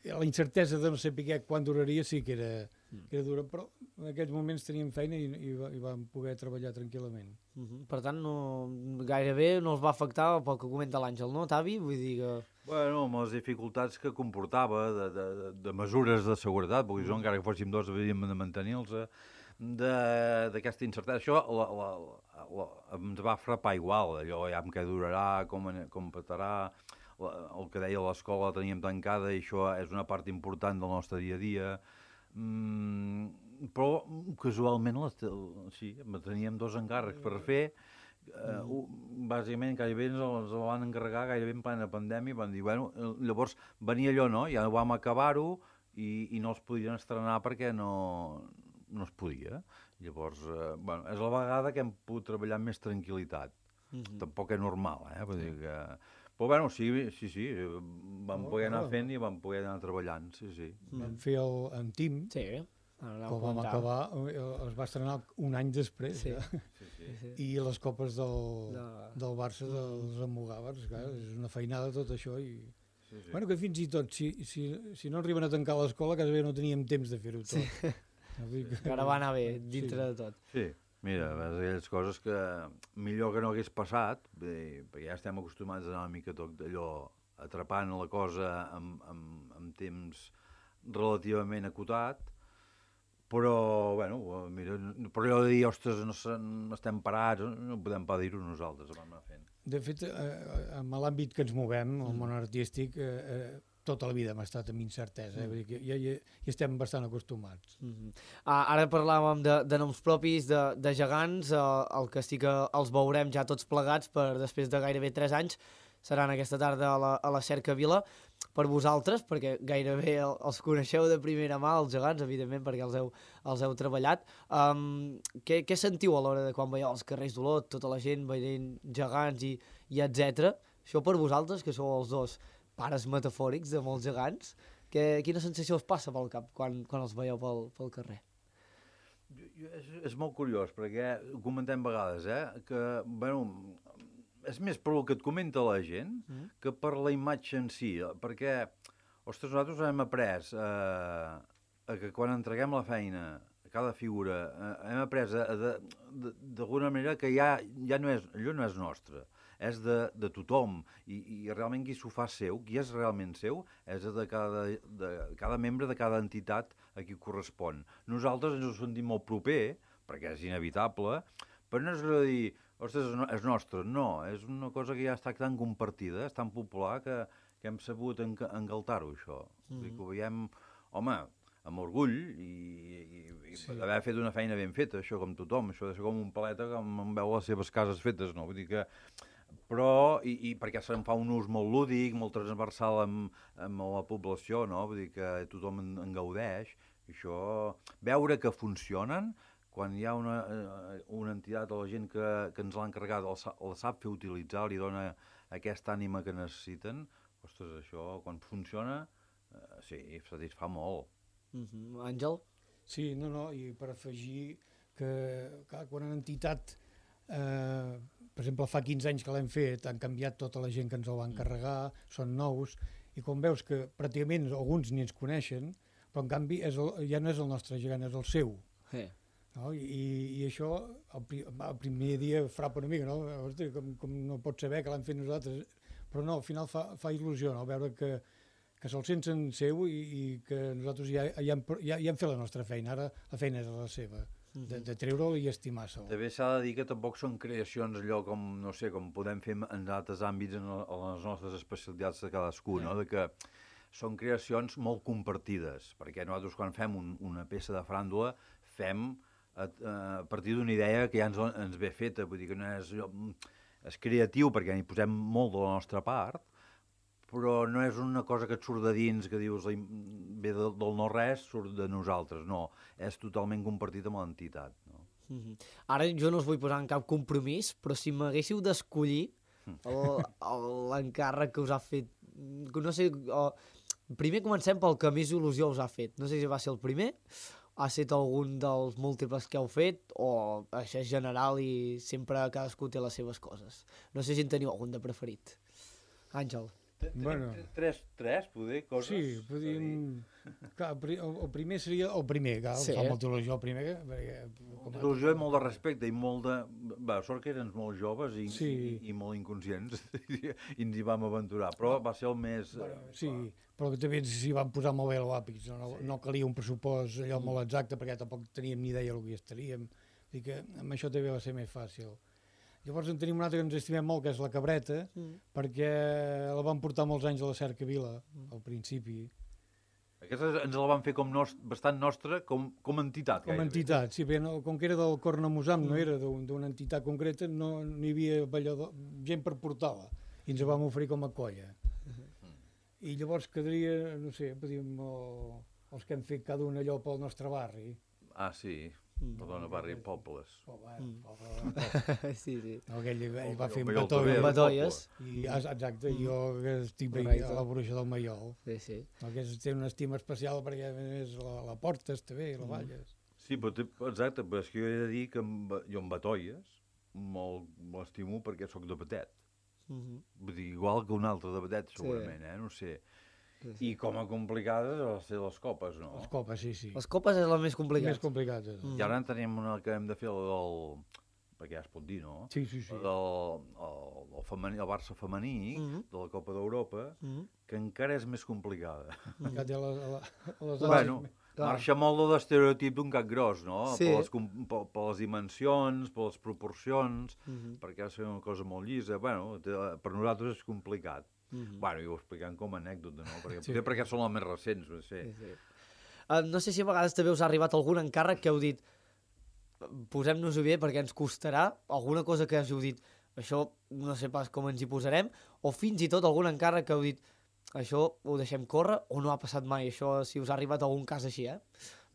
la incertesa de no saber quan duraria sí que era, que era dura, però en aquells moments teníem feina i, i, i vam poder treballar tranquil·lament. Uh-huh. Per tant, no, gairebé no els va afectar pel que comenta l'Àngel, no, Tavi? Vull dir que... Bueno, amb les dificultats que comportava de, de, de mesures de seguretat, perquè uh-huh. encara que fóssim dos havíem de mantenir-los, d'aquesta incertesa. Això la, la, la, ens va frapar igual, allò ja amb què durarà, com, com petarà... el que deia l'escola la teníem tancada i això és una part important del nostre dia a dia. Mm, però casualment les, sí, teníem dos encàrrecs per fer. Uh, mm. Bàsicament gairebé ens els van encarregar gairebé en plena pandèmia i van dir, bueno, llavors venia allò, no? Ja vam acabar-ho i, i no els podien estrenar perquè no, no es podia. Llavors, uh, bueno, és la vegada que hem pogut treballar amb més tranquil·litat. Mm-hmm. Tampoc és normal, eh? Vull dir que... Però bueno, sí, sí, sí, vam oh, poder anar oh. fent i vam poder anar treballant, sí, sí. Mm. Vam fer el, en Tim, sí. que vam acabar, es va estrenar un any després, sí. Ja. Sí, sí. Sí. I les copes del, no. del Barça, dels Almogàvers, clar, és una feinada tot això i... Sí, sí. Bueno, que fins i tot, si, si, si no arriben a tancar l'escola, quasi bé no teníem temps de fer-ho tot. Sí. Que ara va anar bé, dintre sí. de tot. Sí. Mira, aquelles coses que millor que no hagués passat, bé, perquè ja estem acostumats a anar una mica tot d'allò, atrapant la cosa amb, amb, amb temps relativament acotat, però, bueno, mira, però allò de dir, ostres, no, no estem parats, no podem pas dir-ho nosaltres, vam anar fent. De fet, eh, en l'àmbit que ens movem, el món artístic, eh, eh, tota la vida hem estat amb incertesa, eh? Vull dir que ja, ja, ja estem bastant acostumats. Mm-hmm. ah, ara parlàvem de, de noms propis, de, de gegants, eh, el que sí que els veurem ja tots plegats per després de gairebé tres anys, seran aquesta tarda a la, a la Cercavila. Per vosaltres, perquè gairebé els coneixeu de primera mà, els gegants, evidentment, perquè els heu, els heu treballat. Um, què, què sentiu a l'hora de quan veieu als carrers d'Olot, tota la gent veient gegants i, i etcètera? Això per vosaltres, que sou els dos pares metafòrics de molts gegants, que, quina sensació us passa pel cap quan, quan els veieu pel, pel carrer? És, és molt curiós, perquè ho comentem vegades, eh? Que, bueno, és més per el que et comenta la gent mm. que per la imatge en si, perquè, ostres, nosaltres hem après eh, que quan entreguem la feina a cada figura, eh, hem après d'alguna manera que ja, ja no és, allò no és nostre, és de, de tothom, i, i realment qui s'ho fa seu, qui és realment seu, és de cada, de cada membre de cada entitat a qui correspon. Nosaltres ens ho sentim molt proper, perquè és inevitable, però no és de dir, ostres, és nostre, no, és una cosa que ja està tan compartida, és tan popular que, que hem sabut engaltar-ho, això. Mm-hmm. Que ho veiem, home, amb orgull, i, i, i sí. Haver fet una feina ben feta, això com tothom, això de ser com un paleta que em veu les seves cases fetes, no? Vull dir que... Però, i, i perquè se'n fa un ús molt lúdic, molt transversal amb, amb la població, no? Vull dir que tothom en, en gaudeix, i això, veure que funcionen, quan hi ha una, una entitat o la gent que, que ens l'ha encarregat el, el sap fer utilitzar, li dona aquesta ànima que necessiten, ostres, això, quan funciona, eh, sí, satisfà molt. Mm-hmm. Àngel? Sí, no, no, i per afegir que, clar, quan una entitat, eh, per exemple, fa quinze anys que l'hem fet, han canviat tota la gent que ens el va encarregar, són nous, i quan veus que pràcticament alguns ni ens coneixen, però en canvi és el, ja no és el nostre gegant, és el seu. Sí. No? I, I això, el, el primer dia frapa una mica, no? Hosti, com, com no pots saber que l'hem fet nosaltres, però no, al final fa, fa il·lusió, no? Veure que, que se'l senten seu i, i que nosaltres ja, ja, hem, ja, ja hem fet la nostra feina, ara la feina és la seva, de, de treure'l i estimar-se'l. També s'ha de dir que tampoc són creacions allò com, no sé, com podem fer en altres àmbits, en, en les nostres especialitats de cadascú, no? De que són creacions molt compartides, perquè nosaltres quan fem un, una peça de fràndula fem a, a partir d'una idea que ja ens, ens ve feta, vull dir que no és, és creatiu perquè hi posem molt de la nostra part, però no és una cosa que et surt de dins, que dius ve del, del no-res, surt de nosaltres, no, és totalment compartit amb l'entitat. No? Mm-hmm. Ara jo no us vull posar en cap compromís, però si m'haguéssiu d'escollir l'encàrrec que us ha fet, no sé, o, primer comencem pel que més il·lusió us ha fet, no sé si va ser el primer, ha estat algun dels múltiples que heu fet, o això és general i sempre cadascú té les seves coses. No sé si en teniu algun de preferit. Àngel. Bueno. Tres, tres, poder, coses... Sí, podríem... Clar, el, el primer seria el primer, clar, sí. Fa molta il·lusió el primer. Perquè, molta il·lusió i molt de respecte i molt de... Va, sort que érem molt joves i, sí. i, i molt inconscients i ens hi vam aventurar, però va ser el més... Bueno, sí, però que també s'hi van posar molt bé els àpits, no, sí. No calia un pressupost allò molt exacte perquè tampoc teníem ni idea del que estaríem, vull dir que amb això també va ser més fàcil. Llavors en tenim una altra que ens estimem molt, que és la Cabreta, mm. perquè la van portar molts anys a la Cercavila, mm. al principi. Aquesta ens la van fer com nost bastant nostra, com, com entitat. Com gairebé. Entitat, sí, perquè no, com que era del Cornamusam, mm. no era d'una entitat concreta, no, no hi havia ballador, gent per portar-la, i ens la vam oferir com a colla. Mm. I llavors quedaria, no sé, podríem, el, els que hem fet cada un allò pel nostre barri. Ah, sí. Mm. Perdona, barri Pobles. Oh, bueno, mm. poble, sí, sí. No, aquell ell va fer un Batolles. I, exacte, mm. jo que estic veient a la Bruixa del Maiol. Sí, sí. No, que té una estima especial perquè a més la, la portes també, la balles. Sí, però té, exacte, però és que jo he de dir que amb, jo amb Batolles m'estimo perquè sóc de Batet. Mm -hmm. Vull dir, igual que un altre de Batet, segurament, sí. eh? No sé. Sí, sí. I com a complicades a ser les copes, no? Les copes, sí, sí. Les copes és la més complicada. Més complicada. Mm. I ara en tenim una que hem de fer, el, el, perquè ja es pot dir, no? Sí, sí, sí. El, el, el, femení, el Barça femení, mm -hmm. de la Copa d'Europa, mm -hmm. que encara és més complicada. Mm -hmm. Ja té a les, a les bueno, marxa molt de l'estereotip d'un gat gros, no? Sí. Per, les, per, per les dimensions, per les proporcions, mm -hmm. perquè ha de ser una cosa molt llisa. Bueno, per nosaltres és complicat. Mm -hmm. Bueno, i ho expliquem com a anècdota, no? Perquè, sí. perquè són les més recents, no sé. Sí, sí. Uh, no sé si a vegades també us ha arribat algun encàrrec que heu dit posem-nos-ho bé perquè ens costarà, alguna cosa que heu dit això no sé pas com ens hi posarem, o fins i tot algun encàrrec que heu dit això ho deixem córrer, o no ha passat mai això, si us ha arribat algun cas així, eh?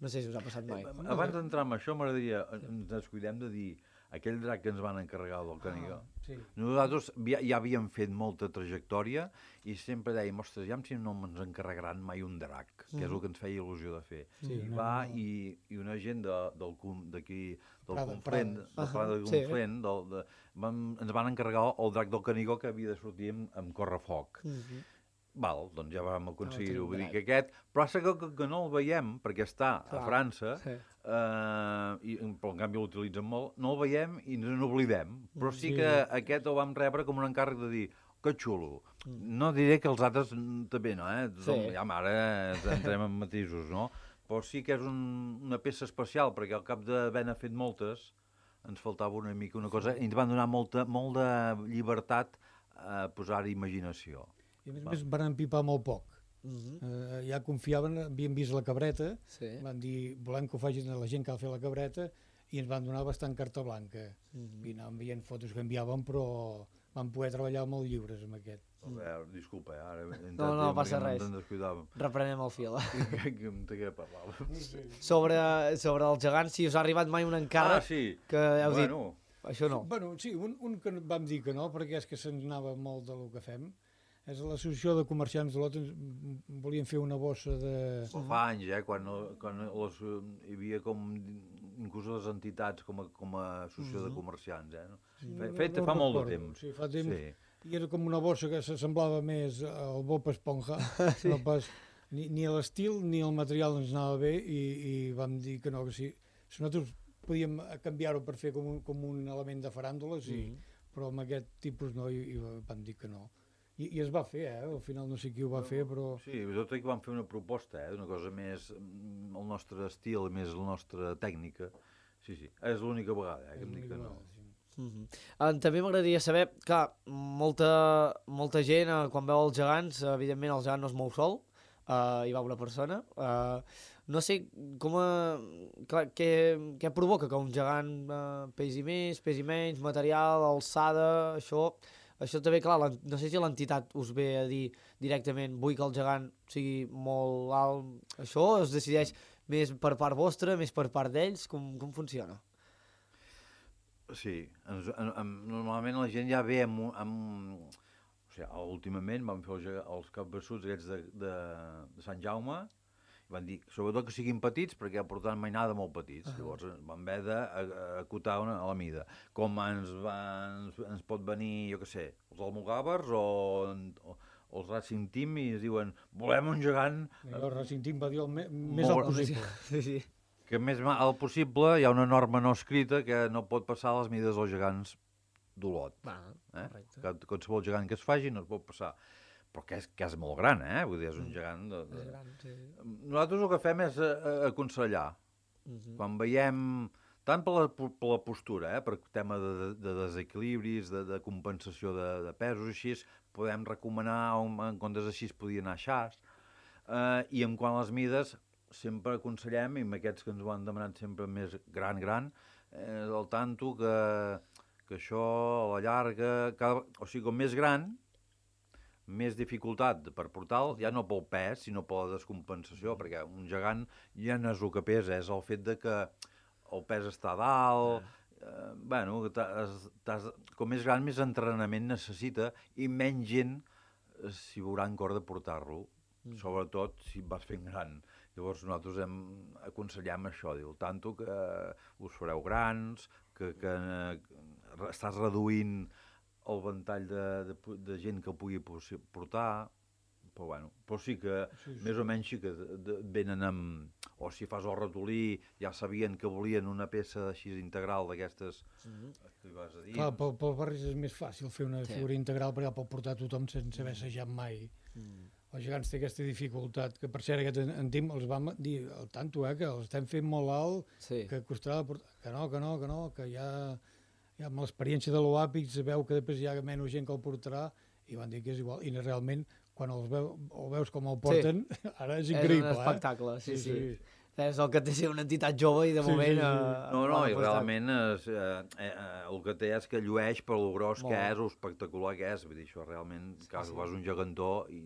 No sé si us ha passat mai. Eh, abans d'entrar en això m'agradaria, ens descuidem de dir aquell drac que ens van encarregar del Canigó. Ah, sí. Nosaltres ja, ja havíem fet molta trajectòria i sempre dèiem, ostres, ja si no ens encarregaran mai un drac, mm. que és el que ens feia il·lusió de fer. Sí, I va, no, no. I, i una gent d'aquí, de, del Prada, Conflent, Prada. del Prada de Conflent, sí. del, de, vam, ens van encarregar el drac del Canigó que havia de sortir amb, amb correfoc. Mm -hmm. Val, doncs ja vam aconseguir-ho, vull dir que aquest, però que, que, que no el veiem, perquè està Clar, a França, sí. eh, i, però en canvi l'utilitzen molt, no el veiem i ens n'oblidem, però sí, sí que aquest el vam rebre com un encàrrec de dir, que xulo. Mm. No diré que els altres també no, eh? Sí. Ja ara entrem en matisos, no? Però sí que és un, una peça especial, perquè al cap d'haver-ne fet moltes, ens faltava una mica una cosa, i ens van donar molta, molt de llibertat a posar-hi imaginació. I a més a més van empipar molt poc. Uh -huh. uh, ja confiaven, havien vist la Cabreta, sí. van dir, volem que ho facin la gent que ha fet la Cabreta, i ens van donar bastant carta blanca. Uh -huh. I anàvem veient fotos que enviàvem, però vam poder treballar molt lliures amb aquest. Uh -huh. eh, disculpa, eh? Ara no, no, passa res. Reprenem el fil. Que em té que parlar. Sí. Sobre, sobre els gegants, si us ha arribat mai un encàrrec ah, sí. que heu bueno. dit, això no. Bueno, sí, un, un que vam dir que no, perquè és que se'ns anava molt del que fem. És l'associació de comerciants d'Olot, volien fer una bossa de... Fa anys, eh, quan, quan les, hi havia com, inclús les entitats com a, com a associació uh -huh. de comerciants, eh? Sí, no, Fet no, no fa molt recordo. de temps. Sí, fa temps, sí. I era com una bossa que s'assemblava més al Bob Esponja, sí. no pas, ni, ni l'estil ni el material ens anava bé, i, i vam dir que no, que sí. Si nosaltres podíem canviar-ho per fer com un, com un element de faràndula, sí, uh -huh. però amb aquest tipus no, i, i vam dir que no. I, I es va fer, eh? Al final no sé qui ho va fer, però... Sí, nosaltres vam fer una proposta, eh? Una cosa més el nostre estil, més la nostra tècnica. Sí, sí, és l'única vegada, eh? Que em dic que no. Sí. Uh-huh. També m'agradaria saber que molta, molta gent, eh, quan veu els gegants, evidentment el gegant no es mou sol, eh, hi va una persona. Eh, no sé com a, clar, què, què provoca que un gegant eh, pesi més, pesi menys, material, alçada, això... Això també, clar, no sé si l'entitat us ve a dir directament vull que el gegant sigui molt alt, això es decideix més per part vostra, més per part d'ells, com, com funciona? Sí, ens, en, en, normalment la gent ja ve amb... amb o sigui, últimament vam fer els, els capbassuts aquests de, de, de Sant Jaume, van dir, sobretot que siguin petits, perquè portaven mainada molt petits. Uh -huh. Llavors van haver d'acotar a la mida. Com ens, va, ens, ens pot venir, jo què sé, els almogàvers o, o, o els Racing Team i es diuen, volem un gegant... I el Racing Team va dir el me, més alt possible. Sí, sí. Que més alt possible, hi ha una norma no escrita que no pot passar les mides dels gegants d'Olot. Eh? Que qualsevol gegant que es faci no es pot passar. Però que és, que és molt gran, eh? Vull dir, és un gegant... De, de... És gran, sí. Nosaltres el que fem és uh, aconsellar. Uh-huh. Quan veiem tant per la, per la postura, eh, per tema de, de desequilibris, de, de compensació de, de pesos, així, podem recomanar, en comptes així podia anar xas, eh, i en quant a les mides, sempre aconsellem, i amb aquests que ens ho han demanat sempre més gran, gran, eh, el tanto que, que això a la llarga, cada, o sigui, com més gran, més dificultat per portar-lo, ja no pel pes, sinó per la descompensació, perquè un gegant ja no és el que pesa, és el fet de que el pes està a dalt, eh, bueno, t'has, t'has, com més gran, més entrenament necessita i menys gent eh, s'hi veurà en cor de portar-lo, mm. sobretot si vas fent gran. Llavors nosaltres hem, aconsellem això, diu, tanto que us fareu grans, que, que eh, estàs reduint el ventall de, de, de gent que pugui portar, però bueno, però sí que sí, sí. més o menys sí que de, de, venen amb, o si fas el ratolí, ja sabien que volien una peça així integral d'aquestes mm-hmm. que vas a dir. Clar, pel, pel barris és més fàcil fer una sí. figura integral perquè pot portar tothom sense haver assajat mai. Mm. Els gegants té aquesta dificultat, que per cert aquest en Tim els vam dir al tanto, eh, que els estem fent molt alt, sí. que costarà portar, que no, que no, que no, que ja... Ja amb l'experiència de l'Oàpic es veu que després hi ha menys gent que el portarà i van dir que és igual. I realment, quan els veu, el veus com el porten, sí. ara és increïble. És un espectacle, eh? sí, sí. sí. sí. És el que té ser una entitat jove i de sí, moment... Sí, sí. Uh, no, no, i realment és, uh, uh, el que té és que llueix per lo gros molt. Que és, o espectacular que és. Vull dir, això realment, sí, que sí. Fas un gegantó i,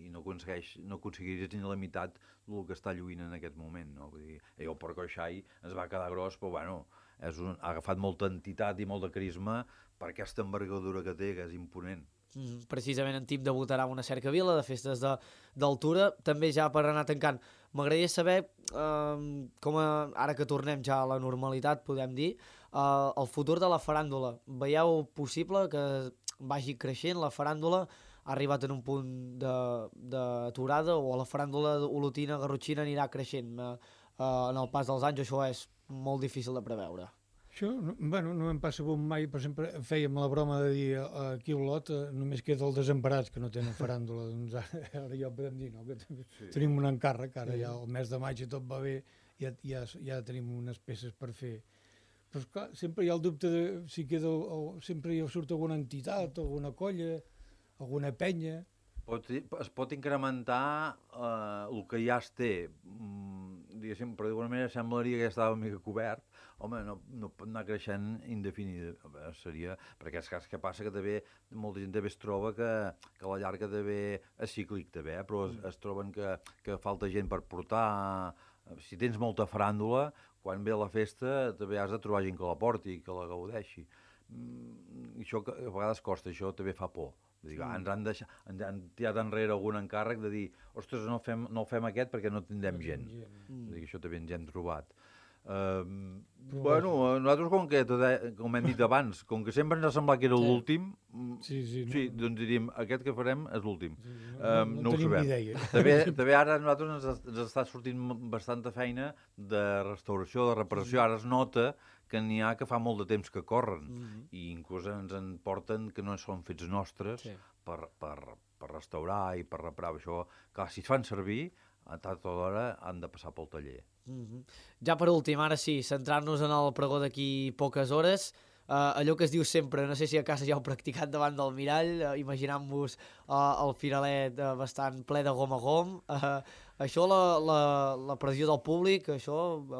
i no, aconsegueix, no aconseguiries ni la meitat del que està lluint en aquest moment. No? Vull dir, el porcoixai ens va quedar gros, però bueno... És un, ha agafat molta entitat i molt de carisma per aquesta envergadura que té, que és imponent. Mm, precisament en Tim debutarà una cercavila de festes d'altura, també ja per anar tancant. M'agradaria saber, eh, com a, ara que tornem ja a la normalitat, podem dir, eh, el futur de la faràndula. Veieu possible que vagi creixent la faràndula? Ha arribat en un punt d'aturada o la faràndula olotina, garrotxina anirà creixent? Eh, eh, en el pas dels anys això és molt difícil de preveure. Això, bueno, no em passa bon mai, per exemple, fèiem la broma de dir uh, aquí a Olot uh, només queda el desemparats que no tenen faràndula, doncs ara, ara ja ho podem dir, no? Que sí. Tenim un encàrrec, ara sí. Ja el mes de maig i tot va bé, ja, ja, ja tenim unes peces per fer. Però esclar, sempre hi ha el dubte de si queda, o, sempre hi surt alguna entitat, alguna colla, alguna penya... Pot, es pot incrementar eh, el que ja es té, mm, diguéssim, però d'alguna manera semblaria que ja estava una mica cobert. Home, no, no pot anar creixent indefinit, seria, perquè és cas que passa que també molta gent també es troba que, que a la llarga també és cíclic també, eh? Però es, es troben que, que falta gent per portar. Si tens molta faràndula, quan ve la festa també has de trobar gent que la porti, que la gaudeixi. Mm, això que a vegades costa, això també fa por. Dic, ens han, deixat, ens han tirat enrere algun encàrrec de dir ostres, no, fem, no fem aquest perquè no tindrem gent. Mm. Dic, això també ens hem trobat. Uh, bueno, nosaltres com que, com hem dit abans, com que sempre ens ha semblat que era sí. l'últim, sí, sí, no, sí, doncs diríem, aquest que farem és l'últim. Sí, no, um, no, no, no ho sabem. Idea. També, també ara a nosaltres ens, ens està sortint bastanta feina de restauració, de reparació. Sí. Ara es nota que n'hi ha que fa molt de temps que corren, mm-hmm. i inclús ens en porten que no són fets nostres sí. per, per, per restaurar i per reparar. Això, clar, si es fan servir, a tota l'hora han de passar pel taller. Mm-hmm. Ja per últim, ara sí, centrar-nos en el pregó d'aquí poques hores. Uh, allò que es diu sempre, no sé si a casa ja heu practicat davant del mirall, uh, imaginant-vos uh, el firalet uh, bastant ple de gom a gom. Uh, això, la, la, la pressió del públic, això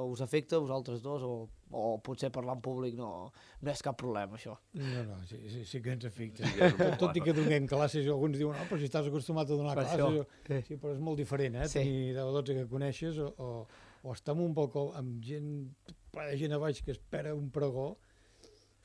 us afecta a vosaltres dos? O, o potser parlar en públic no, no és cap problema, això? No, no, sí, sí, sí que ens afecta. Sí, tot, tot i que donem classes, alguns diuen, no, però si estàs acostumat a donar per classes... Jo, sí. Sí, però és molt diferent, eh? Sí. Tenir deu o dotze que coneixes, o, o, o estar amb un poc amb gent, ple de gent a baix que espera un pregó,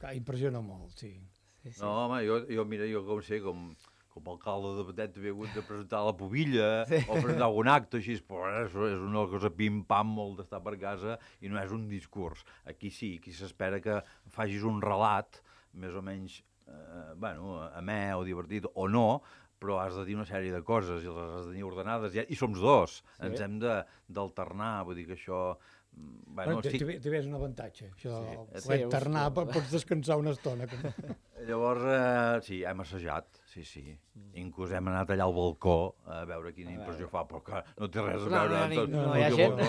que impressiona molt, sí. sí, sí. No, home, jo, jo, mira, jo com sé, com, com a alcalde de Batet havia hagut de presentar la pubilla sí. o presentar algun acte així, però això és una cosa pim-pam, molt d'estar per casa, i no és un discurs. Aquí sí, aquí s'espera que facis un relat, més o menys, eh, bueno, amè o divertit, o no, però has de dir una sèrie de coses, i les has de tenir ordenades, i, i som dos, sí. Ens hem d'alternar, vull dir que això... Bueno, bueno, sí. També és un avantatge, això, Sí, sí, alternar, sí, pots descansar una estona. Llavors, eh, sí, hem assajat, sí, sí. Inclús hem anat allà al balcó a veure quina impressió fa, però que no té res a veure amb tot. No, no hi ha gent.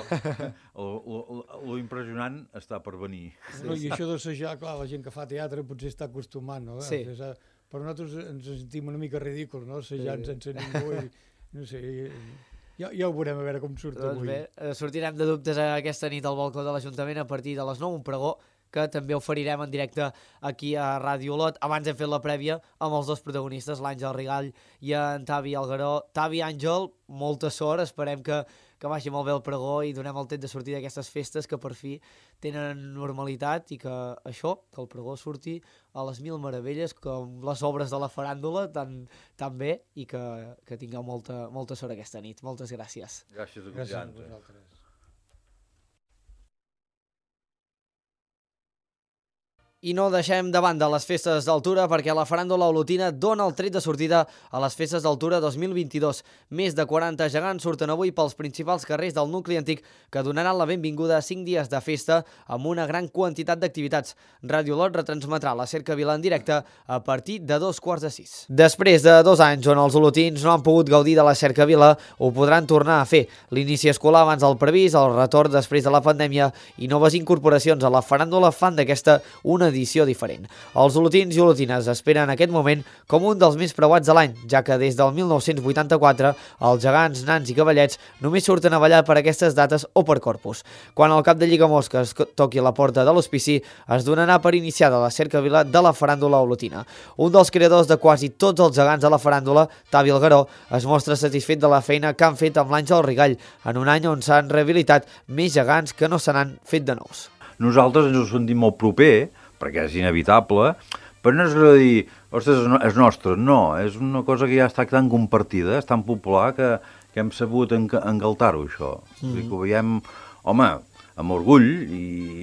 Lo impressionant està per venir. No, I això d'assajar, clar, la gent que fa teatre potser està acostumant, no? Sí. Però nosaltres ens sentim una mica ridículs, no? Assajant sense ningú i, no sé... Ja, ja ho veurem a veure com surt doncs avui. Bé, sortirem de dubtes aquesta nit al balcó de l'Ajuntament a partir de les nou, un pregó que també oferirem en directe aquí a Ràdio Olot. Abans hem fet la prèvia amb els dos protagonistes, l'Àngel Rigall i en Tavi Algueró. Tavi, Àngel, molta sort, esperem que, que vagi molt bé el pregó i donem el temps de sortir d'aquestes festes que per fi tenen normalitat i que això, que el pregó surti a les mil meravelles com les obres de la faràndula tan, tan bé i que, que tingueu molta, molta sort aquesta nit. Moltes gràcies. Gràcies a vosaltres. I no deixem de banda les festes d'altura perquè la faràndula olotina dona el tret de sortida a les festes d'altura dos mil vint-i-dos. Més de quaranta gegants surten avui pels principals carrers del nucli antic que donaran la benvinguda a cinc dies de festa amb una gran quantitat d'activitats. Ràdio Olot retransmetrà la cercavila en directe a partir de dos quarts de sis. Després de dos anys on els olotins no han pogut gaudir de la cercavila, ho podran tornar a fer. L'inici escolar abans del previst, el retorn després de la pandèmia i noves incorporacions a la faràndula fan d'aquesta una edició diferent. Els olotins i olotines esperen aquest moment com un dels més preuats de l'any, ja que des del mil nou-cents vuitanta-quatre els gegants, nans i cavallets només surten a ballar per aquestes dates o per Corpus. Quan el cap de Lligamosques toqui la porta de l'hospici, es donarà per iniciada la cercavila de la faràndula olotina. Un dels creadors de quasi tots els gegants de la faràndula, Tavi Algueró, es mostra satisfet de la feina que han fet amb l'Àngel Rigall, en un any on s'han rehabilitat més gegants que no se n'han fet de nous. Nosaltres ens ho sentim molt proper, perquè és inevitable, però no és allò de dir, ostres, és nostre, no, és una cosa que ja està tan compartida, és tan popular que, que hem sabut engaltar-ho, això. Mm. Que ho veiem, home, amb orgull i,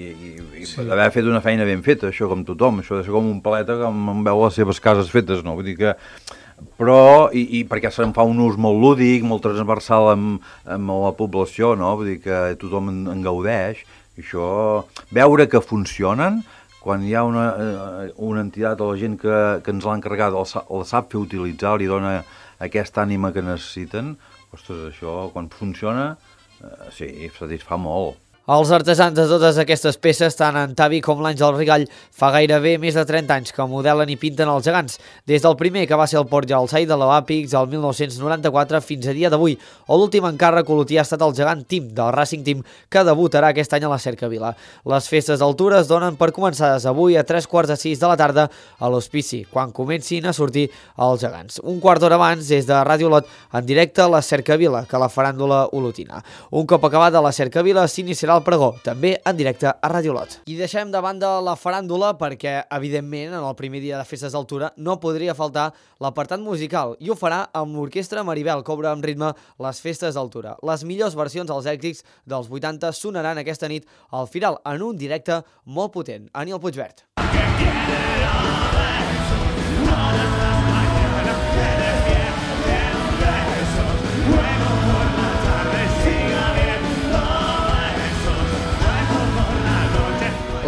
i, i sí. d'haver fet una feina ben feta, això com tothom, això de ser com un paleta que em veu les seves cases fetes, no? Vull dir que... Però, i, i perquè se'n fa un ús molt lúdic, molt transversal amb, amb la població, no? Vull dir que tothom en, en gaudeix, i això, veure que funcionen, quan hi ha una, una entitat o la gent que, que ens l'ha encarregat el, el sap fer utilitzar, li dona aquesta ànima que necessiten, ostres, això, quan funciona, eh, sí, satisfà molt. Els artesans de totes aquestes peces, tant en Tavi com l'Àngel Rigall, fa gairebé més de trenta anys que modelen i pinten els gegants, des del primer que va ser el Port Jalsai de l'Oàpix al mil nou-cents noranta-quatre fins a dia d'avui, o l'últim encàrrec olotí ha estat el gegant Tim, del Racing Team, que debutarà aquest any a la cercavila. Les festes d'altura es donen per començades avui a tres quarts de sis de la tarda a l'hospici, quan comencin a sortir els gegants. Un quart d'hora abans, des de Ràdio Olot, en directe a la cercavila, que la faràndula olotina. Un cop acabada la cercavila, s'iniciarà el pregó, també en directe a Ràdio Olot. I deixem de banda la faràndula perquè, evidentment, en el primer dia de festes d'altura no podria faltar l'apartat musical i ho farà amb l'Orquestra Maribel, que obre amb ritme les festes d'altura. Les millors versions dels èxits dels vuitanta sonaran aquesta nit al Firal en un directe molt potent. Aniel Puigvert.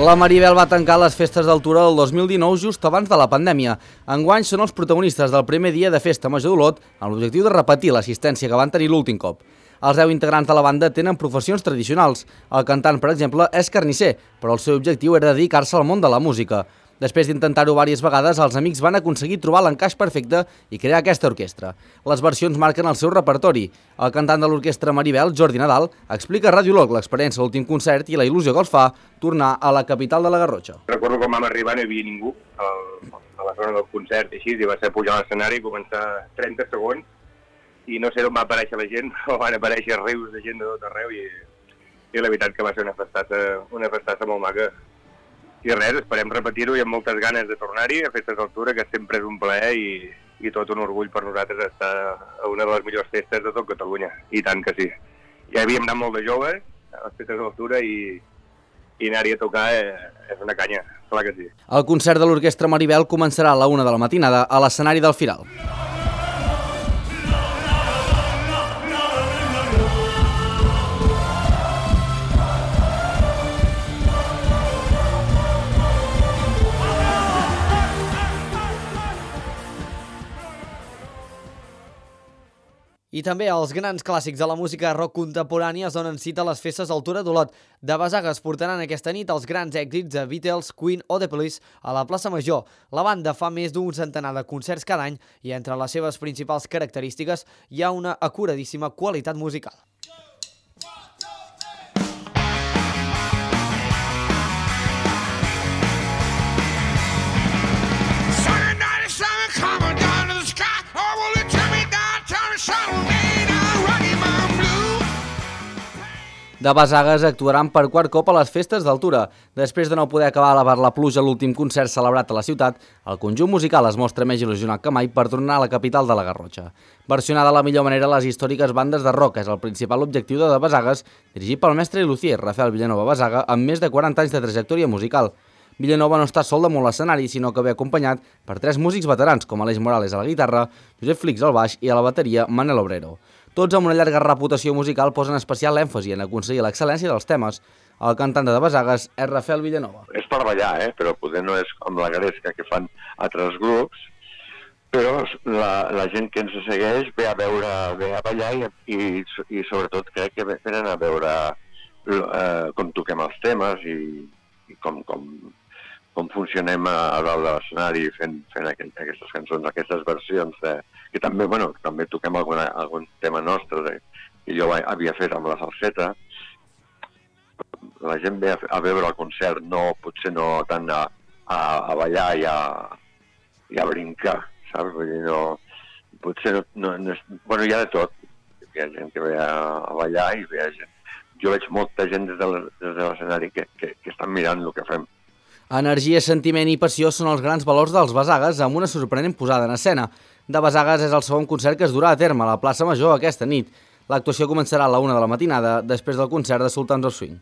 La Maribel va tancar les festes d'altura del dos mil dinou just abans de la pandèmia. Enguany són els protagonistes del primer dia de Festa Major d'Olot amb l'objectiu de repetir l'assistència que van tenir l'últim cop. Els deu integrants de la banda tenen professions tradicionals. El cantant, per exemple, és carnisser, però el seu objectiu era dedicar-se al món de la música. Després d'intentar-ho diverses vegades, els amics van aconseguir trobar l'encaix perfecte i crear aquesta orquestra. Les versions marquen el seu repertori. El cantant de l'orquestra Maribel, Jordi Nadal, explica a Ràdio Olot l'experiència de l'últim concert i la il·lusió que els fa tornar a la capital de la Garrotxa. Recordo quan vam arribar no hi havia ningú al, a la zona del concert i així, i va ser pujar a l'escenari i començar trenta segons i no sé d'on va aparèixer la gent, però van aparèixer rius de gent de tot arreu i, i la veritat que va ser una festassa, una festassa molt maca. I res, esperem repetir-ho i amb moltes ganes de tornar-hi a Festes d'Altura, que sempre és un plaer i, i tot un orgull per nosaltres estar a una de les millors festes de tot Catalunya. I tant que sí. Ja havíem anat molt de joves a les Festes d'Altura i, i anar-hi a tocar eh, és una canya, clar que sí. El concert de l'Orquestra Maribel començarà a la una de la matinada a l'escenari del Firal. també els grans clàssics de la música rock contemporània es donen cita a les festes d'Altura d'Olot. De Basagues portaran aquesta nit els grans èxits de Beatles, Queen o The Police a la plaça Major. La banda fa més d'un centenar de concerts cada any i entre les seves principals característiques hi ha una acuradíssima qualitat musical. De Basagues actuaran per quart cop a les festes d'Altura. Després de no poder acabar per la pluja l'últim concert celebrat a la ciutat, el conjunt musical es mostra més il·lusionat que mai per tornar a la capital de la Garrotxa. Versionar de la millor manera les històriques bandes de rock és el principal objectiu de De Basagues, dirigit pel mestre i luthier Rafael Villanova Basaga, amb més de quaranta anys de trajectòria musical. Villanova no està sol damunt l'escenari, sinó que ve acompanyat per tres músics veterans, com Aleix Morales a la guitarra, Josep Flix al baix i a la bateria Manel Obrero. Tots amb una llarga reputació musical posen especial èmfasi en aconseguir l'excel·lència dels temes. El cantant de De Basagues és Rafael Villanova. És per ballar, eh? Però poder no és com la gresca que fan altres grups, però la, la gent que ens segueix ve a veure, ve a ballar i, i, i sobretot crec que venen a veure eh, com toquem els temes i, i com, com, com funcionem a, a dalt de l'escenari fent, fent aqu aquestes cançons, aquestes versions de, que també, bueno, també toquem alguna, algun tema nostre de, que jo havia fet amb la salseta. La gent ve a, a veure el concert, no, potser no tant a, a, a ballar i a, i a brincar, saps? Vull dir, no, potser no, no, no és, bueno, hi ha de tot. Hi ha gent que ve a, a ballar i ve a gent. Jo veig molta gent des de l'escenari que, que, que estan mirant el que fem. Energia, sentiment i passió són els grans valors dels Basagues amb una sorprenent posada en escena. De Basagues és el segon concert que es durà a terme a la plaça Major aquesta nit. L'actuació començarà a la una de la matinada, després del concert de Sultans of Swing.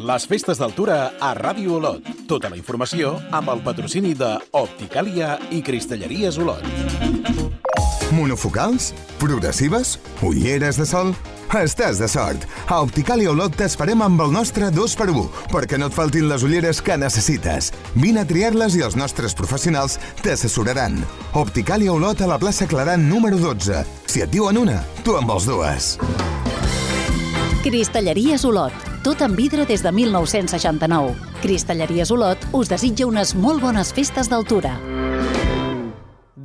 Les festes d'Altura a Ràdio Olot. Tota la informació amb el patrocini de Opticàlia i Cristalleries Olot. Monofocals? Progressives? Ulleres de sol? Estàs de sort! A Opticàlia Olot t'esperem amb el nostre dos per u, perquè no et faltin les ulleres que necessites. Vine a triar-les i els nostres professionals t'assessoraran. Opticàlia Olot a la plaça Claran número dotze. Si et diuen una, tu en vols dues. Cristalleries Olot. Tot en vidre des de mil nou-cents seixanta-nou. Cristalleries Olot us desitja unes molt bones festes d'Altura.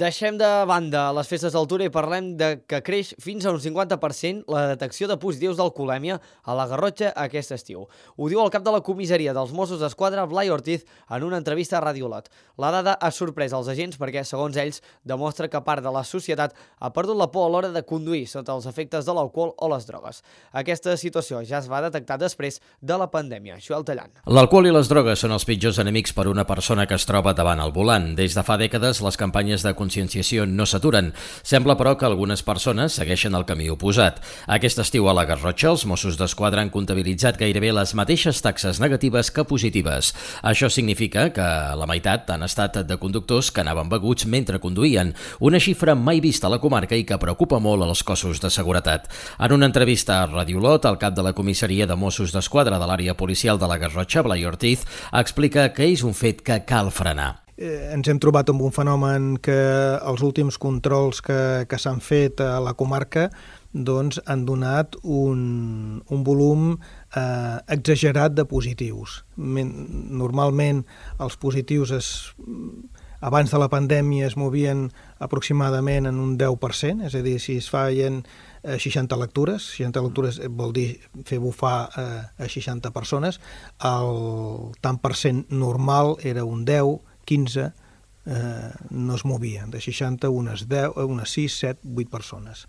Deixem de banda les festes d'Altura i parlem de que creix fins a un cinquanta per cent la detecció de positius d'alcoholèmia a la Garrotxa aquest estiu. Ho diu el cap de la comissaria dels Mossos d'Esquadra, Blai Ortiz, en una entrevista a Ràdio Olot. La dada ha sorprès els agents perquè, segons ells, demostra que part de la societat ha perdut la por a l'hora de conduir sota els efectes de l'alcohol o les drogues. Aquesta situació ja es va detectar després de la pandèmia. Joel Tallant. L'alcohol i les drogues són els pitjors enemics per a una persona que es troba davant el volant. Des de fa dècades, les campanyes de conscienciació no s'aturen. Sembla, però, que algunes persones segueixen el camí oposat. Aquest estiu a la Garrotxa, els Mossos d'Esquadra han comptabilitzat gairebé les mateixes taxes negatives que positives. Això significa que la meitat han estat de conductors que anaven beguts mentre conduïen, una xifra mai vista a la comarca i que preocupa molt als cossos de seguretat. En una entrevista a Ràdio Olot, el cap de la comissaria de Mossos d'Esquadra de l'àrea policial de la Garrotxa, Blai Ortiz, explica que és un fet que cal frenar. Eh, ens hem trobat amb un fenomen que els últims controls que, que s'han fet a la comarca doncs, han donat un, un volum eh, exagerat de positius. Normalment els positius es, abans de la pandèmia es movien aproximadament en un deu per cent, és a dir, si es feien eh, seixanta lectures, seixanta lectures vol dir fer bufar eh, a seixanta persones, el tant per cent normal era un deu, quinze, eh, no es movien, de seixanta unes deu, unes sis, set, vuit persones.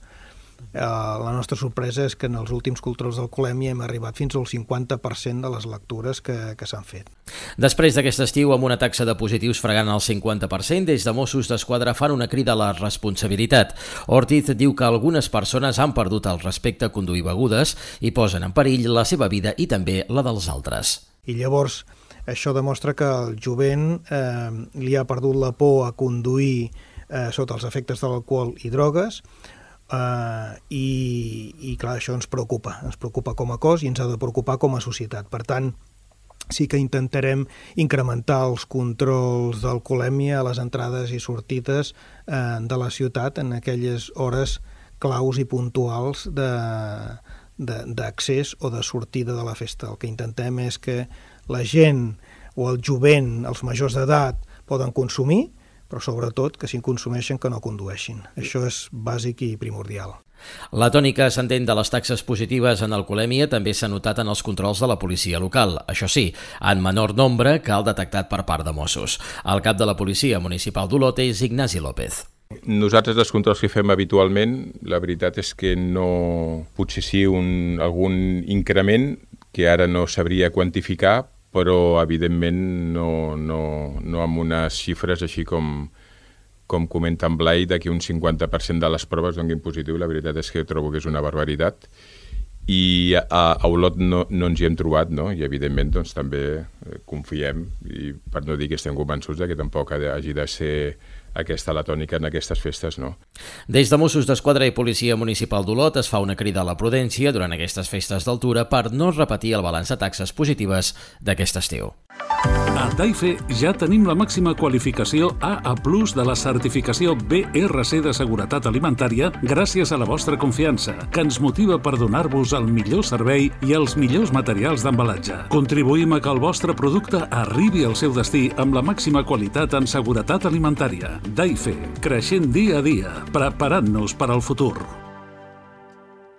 Eh, la nostra sorpresa és que en els últims controls d'alcoholèmia hem arribat fins al cinquanta per cent de les lectures que, que s'han fet. Després d'aquest estiu, amb una taxa de positius fregant el cinquanta per cent, des de Mossos d'Esquadra fan una crida a la responsabilitat. Ortiz diu que algunes persones han perdut el respecte a conduir begudes i posen en perill la seva vida i també la dels altres. I llavors Això demostra que el jovent eh, li ha perdut la por a conduir eh, sota els efectes de l'alcohol i drogues, eh, i, i clar, això ens preocupa, ens preocupa com a cos i ens ha de preocupar com a societat. Per tant, sí que intentarem incrementar els controls d'alcoholèmia a les entrades i sortides eh, de la ciutat en aquelles hores claus i puntuals d'accés o de sortida de la festa. El que intentem és que la gent o el jovent, els majors d'edat, poden consumir, però sobretot que si en consumeixen que no condueixin. Això és bàsic i primordial. La tònica ascendent de les taxes positives en alcoholèmia també s'ha notat en els controls de la policia local. Això sí, en menor nombre que el detectat per part de Mossos. El cap de la policia municipal d'Olot és Ignasi López. Nosaltres els controls que fem habitualment, la veritat és que no... Potser sí un, algun increment que ara no sabria quantificar, però evidentment no, no, no amb unes xifres així com, com comenta en Blai, que un cinquanta per cent de les proves donguin positiu. La veritat és que trobo que és una barbaritat i a, a Olot no, no ens hi hem trobat, no? I evidentment doncs, també confiem, i per no dir que estem convençuts que tampoc hagi de ser aquesta la tònica en aquestes festes, no. Des de Mossos d'Esquadra i Policia Municipal d'Olot es fa una crida a la prudència durant aquestes festes d'altura per no repetir el balanç de taxes positives d'aquest estiu. A Taife ja tenim la màxima qualificació A A plus de la certificació B R C de seguretat alimentària gràcies a la vostra confiança, que ens motiva per donar-vos el millor servei i els millors materials d'embalatge. Contribuïm a que el vostre producte arribi al seu destí amb la màxima qualitat en seguretat alimentària. Taife, creixent dia a dia, preparant-nos per al futur.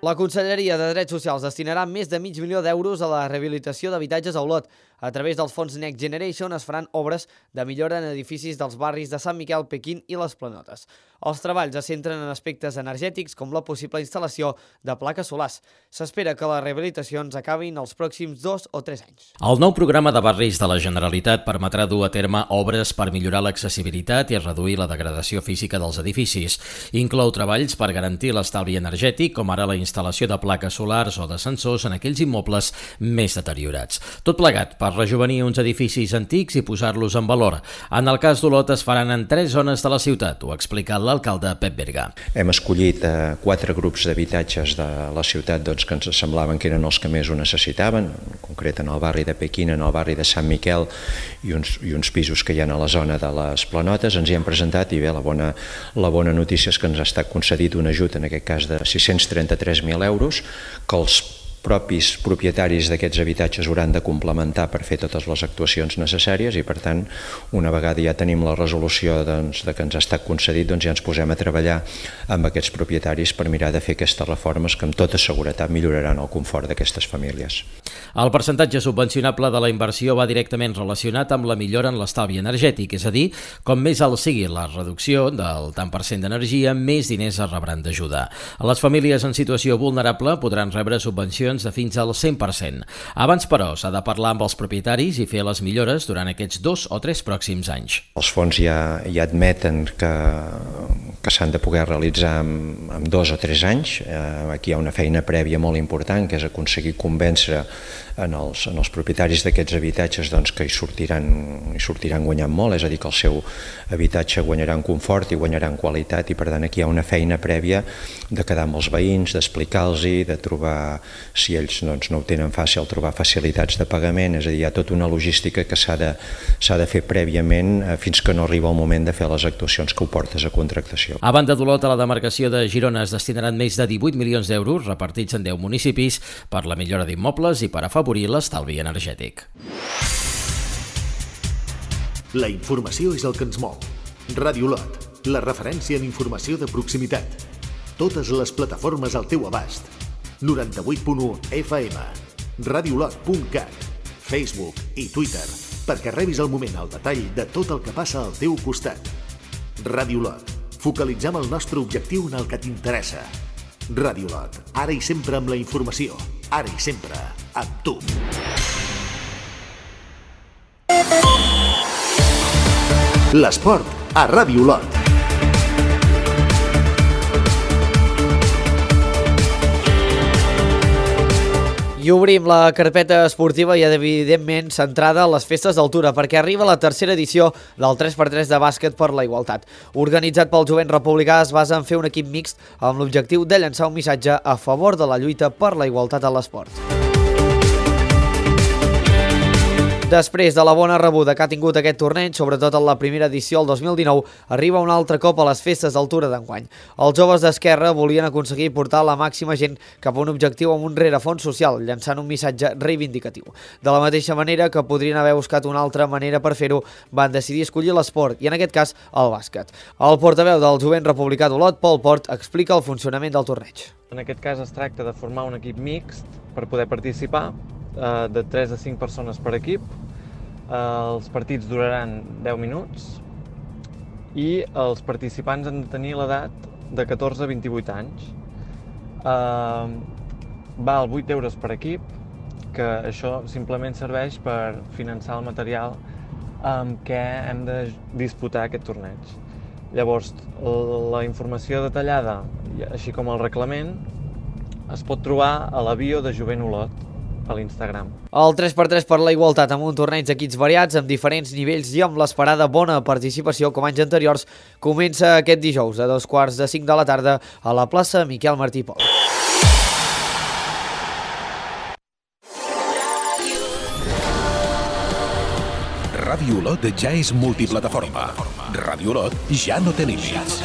La Conselleria de Drets Socials destinarà més de mig milió d'euros a la rehabilitació d'habitatges a Olot. A través dels fons Next Generation es faran obres de millora en edificis dels barris de Sant Miquel, Pequín i les Planotes. Els treballs es centren en aspectes energètics com la possible instal·lació de plaques solars. S'espera que les rehabilitacions acabin els pròxims dos o tres anys. El nou programa de barris de la Generalitat permetrà dur a terme obres per millorar l'accessibilitat i reduir la degradació física dels edificis. Inclou treballs per garantir l'estalvi energètic, com ara la instal·lació de plaques solars o de sensors en aquells immobles més deteriorats. Tot plegat per rejuvenir uns edificis antics i posar-los en valor. En el cas d'Olot es faran en tres zones de la ciutat, ho ha explicat l'alcalde Pep Berga. Hem escollit eh, quatre grups d'habitatges de la ciutat doncs, que ens semblaven que eren els que més ho necessitaven, en concret en el barri de Pequín, en el barri de Sant Miquel i uns, i uns pisos que hi ha a la zona de les Planotes. Ens hi hem presentat i bé, la bona, la bona notícia és que ens ha estat concedit un ajut, en aquest cas de sis-cents trenta-tres mil euros, que els propis propietaris d'aquests habitatges hauran de complementar per fer totes les actuacions necessàries i, per tant, una vegada ja tenim la resolució doncs, de que ens ha estat concedit, doncs ja ens posem a treballar amb aquests propietaris per mirar de fer aquestes reformes que amb tota seguretat milloraran el confort d'aquestes famílies. El percentatge subvencionable de la inversió va directament relacionat amb la millora en l'estalvi energètic, és a dir, com més alt sigui la reducció del tant per cent d'energia, més diners es rebran d'ajuda. Les famílies en situació vulnerable podran rebre subvencions de fins al cent per cent. Abans, però, s'ha de parlar amb els propietaris i fer les millores durant aquests dos o tres pròxims anys. Els fons ja, ja admeten que, que s'han de poder realitzar en, en dos o tres anys. Eh, aquí hi ha una feina prèvia molt important, que és aconseguir convèncer en els, en els propietaris d'aquests habitatges doncs, que hi sortiran, hi sortiran guanyant molt, és a dir, que el seu habitatge guanyarà en confort i guanyarà en qualitat, i per tant aquí hi ha una feina prèvia de quedar amb els veïns, d'explicar-los, de trobar, si ells doncs, no ho tenen fàcil, trobar facilitats de pagament, és a dir, hi ha tota una logística que s'ha de, s'ha de fer prèviament eh, fins que no arriba el moment de fer les actuacions que ho portes a contractació. A banda d'Olot, a la demarcació de Girona es destinaran més de divuit milions d'euros repartits en deu municipis per la millora d'immobles i per afavorir l'estalvi energètic. La informació és el que ens mou. Ràdio Olot, la referència en informació de proximitat. Totes les plataformes al teu abast. noranta-vuit punt u F M, radiolot punt cat, Facebook i Twitter, perquè rebis al moment el detall de tot el que passa al teu costat. Ràdio Olot, focalitzem el nostre objectiu en el que t'interessa. Ràdio Olot, ara i sempre amb la informació, ara i sempre amb tu. L'esport a Ràdio Olot. I obrim la carpeta esportiva i evidentment centrada a les festes d'altura perquè arriba la tercera edició del tres per tres de bàsquet per la igualtat. Organitzat pel Jovent Republicà, es basa en fer un equip mixt amb l'objectiu de llançar un missatge a favor de la lluita per la igualtat a l'esport. Després de la bona rebuda que ha tingut aquest torneig, sobretot en la primera edició el dos mil dinou, arriba un altre cop a les festes d'altura d'enguany. Els joves d'Esquerra volien aconseguir portar la màxima gent cap a un objectiu amb un rerefons social, llançant un missatge reivindicatiu. De la mateixa manera que podrien haver buscat una altra manera per fer-ho, van decidir escollir l'esport, i en aquest cas el bàsquet. El portaveu del Jovent Republicà d'Olot, Pol Port, explica el funcionament del torneig. En aquest cas es tracta de formar un equip mixt per poder participar, de tres a cinc persones per equip. Els partits duraran deu minuts i els participants han de tenir l'edat de catorze a vint-i-vuit anys. Val vuit euros per equip, que això simplement serveix per finançar el material amb què hem de disputar aquest torneig. Llavors, la informació detallada, així com el reglament, es pot trobar a la bio de Jovent Olot, a l'Instagram. El tres per tres per la igualtat amb un torneig d'equips variats, amb diferents nivells i amb l'esperada bona participació com anys anteriors, comença aquest dijous a dos quarts de cinc de la tarda a la plaça Miquel Martí i Pol. Ràdio Olot ja és multiplataforma. Ràdio Olot ja no té límits.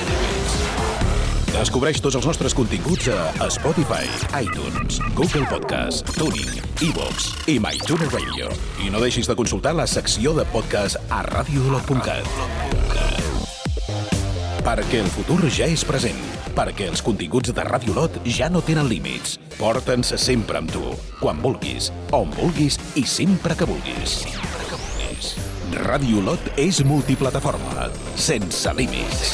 Descobreix tots els nostres continguts a Spotify, iTunes, Google Podcast, TuneIn, iVoox i MyTuner Radio. I no deixis de consultar la secció de podcast a radio olot punt cat. Perquè el futur ja és present. Perquè els continguts de Ràdio Olot ja no tenen límits. Porta'ns sempre amb tu, quan vulguis, on vulguis i sempre que vulguis. Ràdio Olot és multiplataforma, sense límits.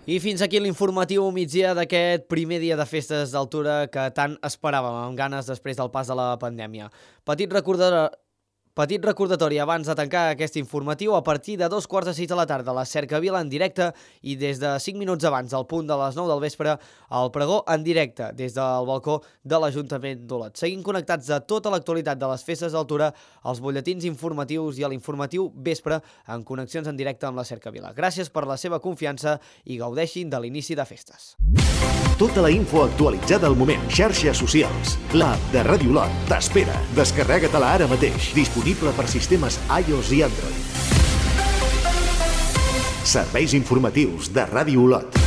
I fins aquí l'informatiu migdia d'aquest primer dia de festes d'altura que tant esperàvem, amb ganes després del pas de la pandèmia. Petit recordatori... Petit recordatori abans de tancar aquest informatiu, a partir de dos quarts de sis de la tarda, la Cercavila en directe i des de cinc minuts abans del punt de les nou del vespre, el pregó en directe des del balcó de l'Ajuntament d'Olot. Seguim connectats a tota l'actualitat de les festes d'altura, als butlletins informatius i a l'informatiu vespre en connexions en directe amb la Cercavila. Gràcies per la seva confiança i gaudeixin de l'inici de festes. Tota la info actualitzada al moment. Xarxes socials. L'app de Ràdio Olot t'espera. Descarrega-te-la ara mateix. Disponible per sistemes iOS i Android. Serveis informatius de Ràdio Olot.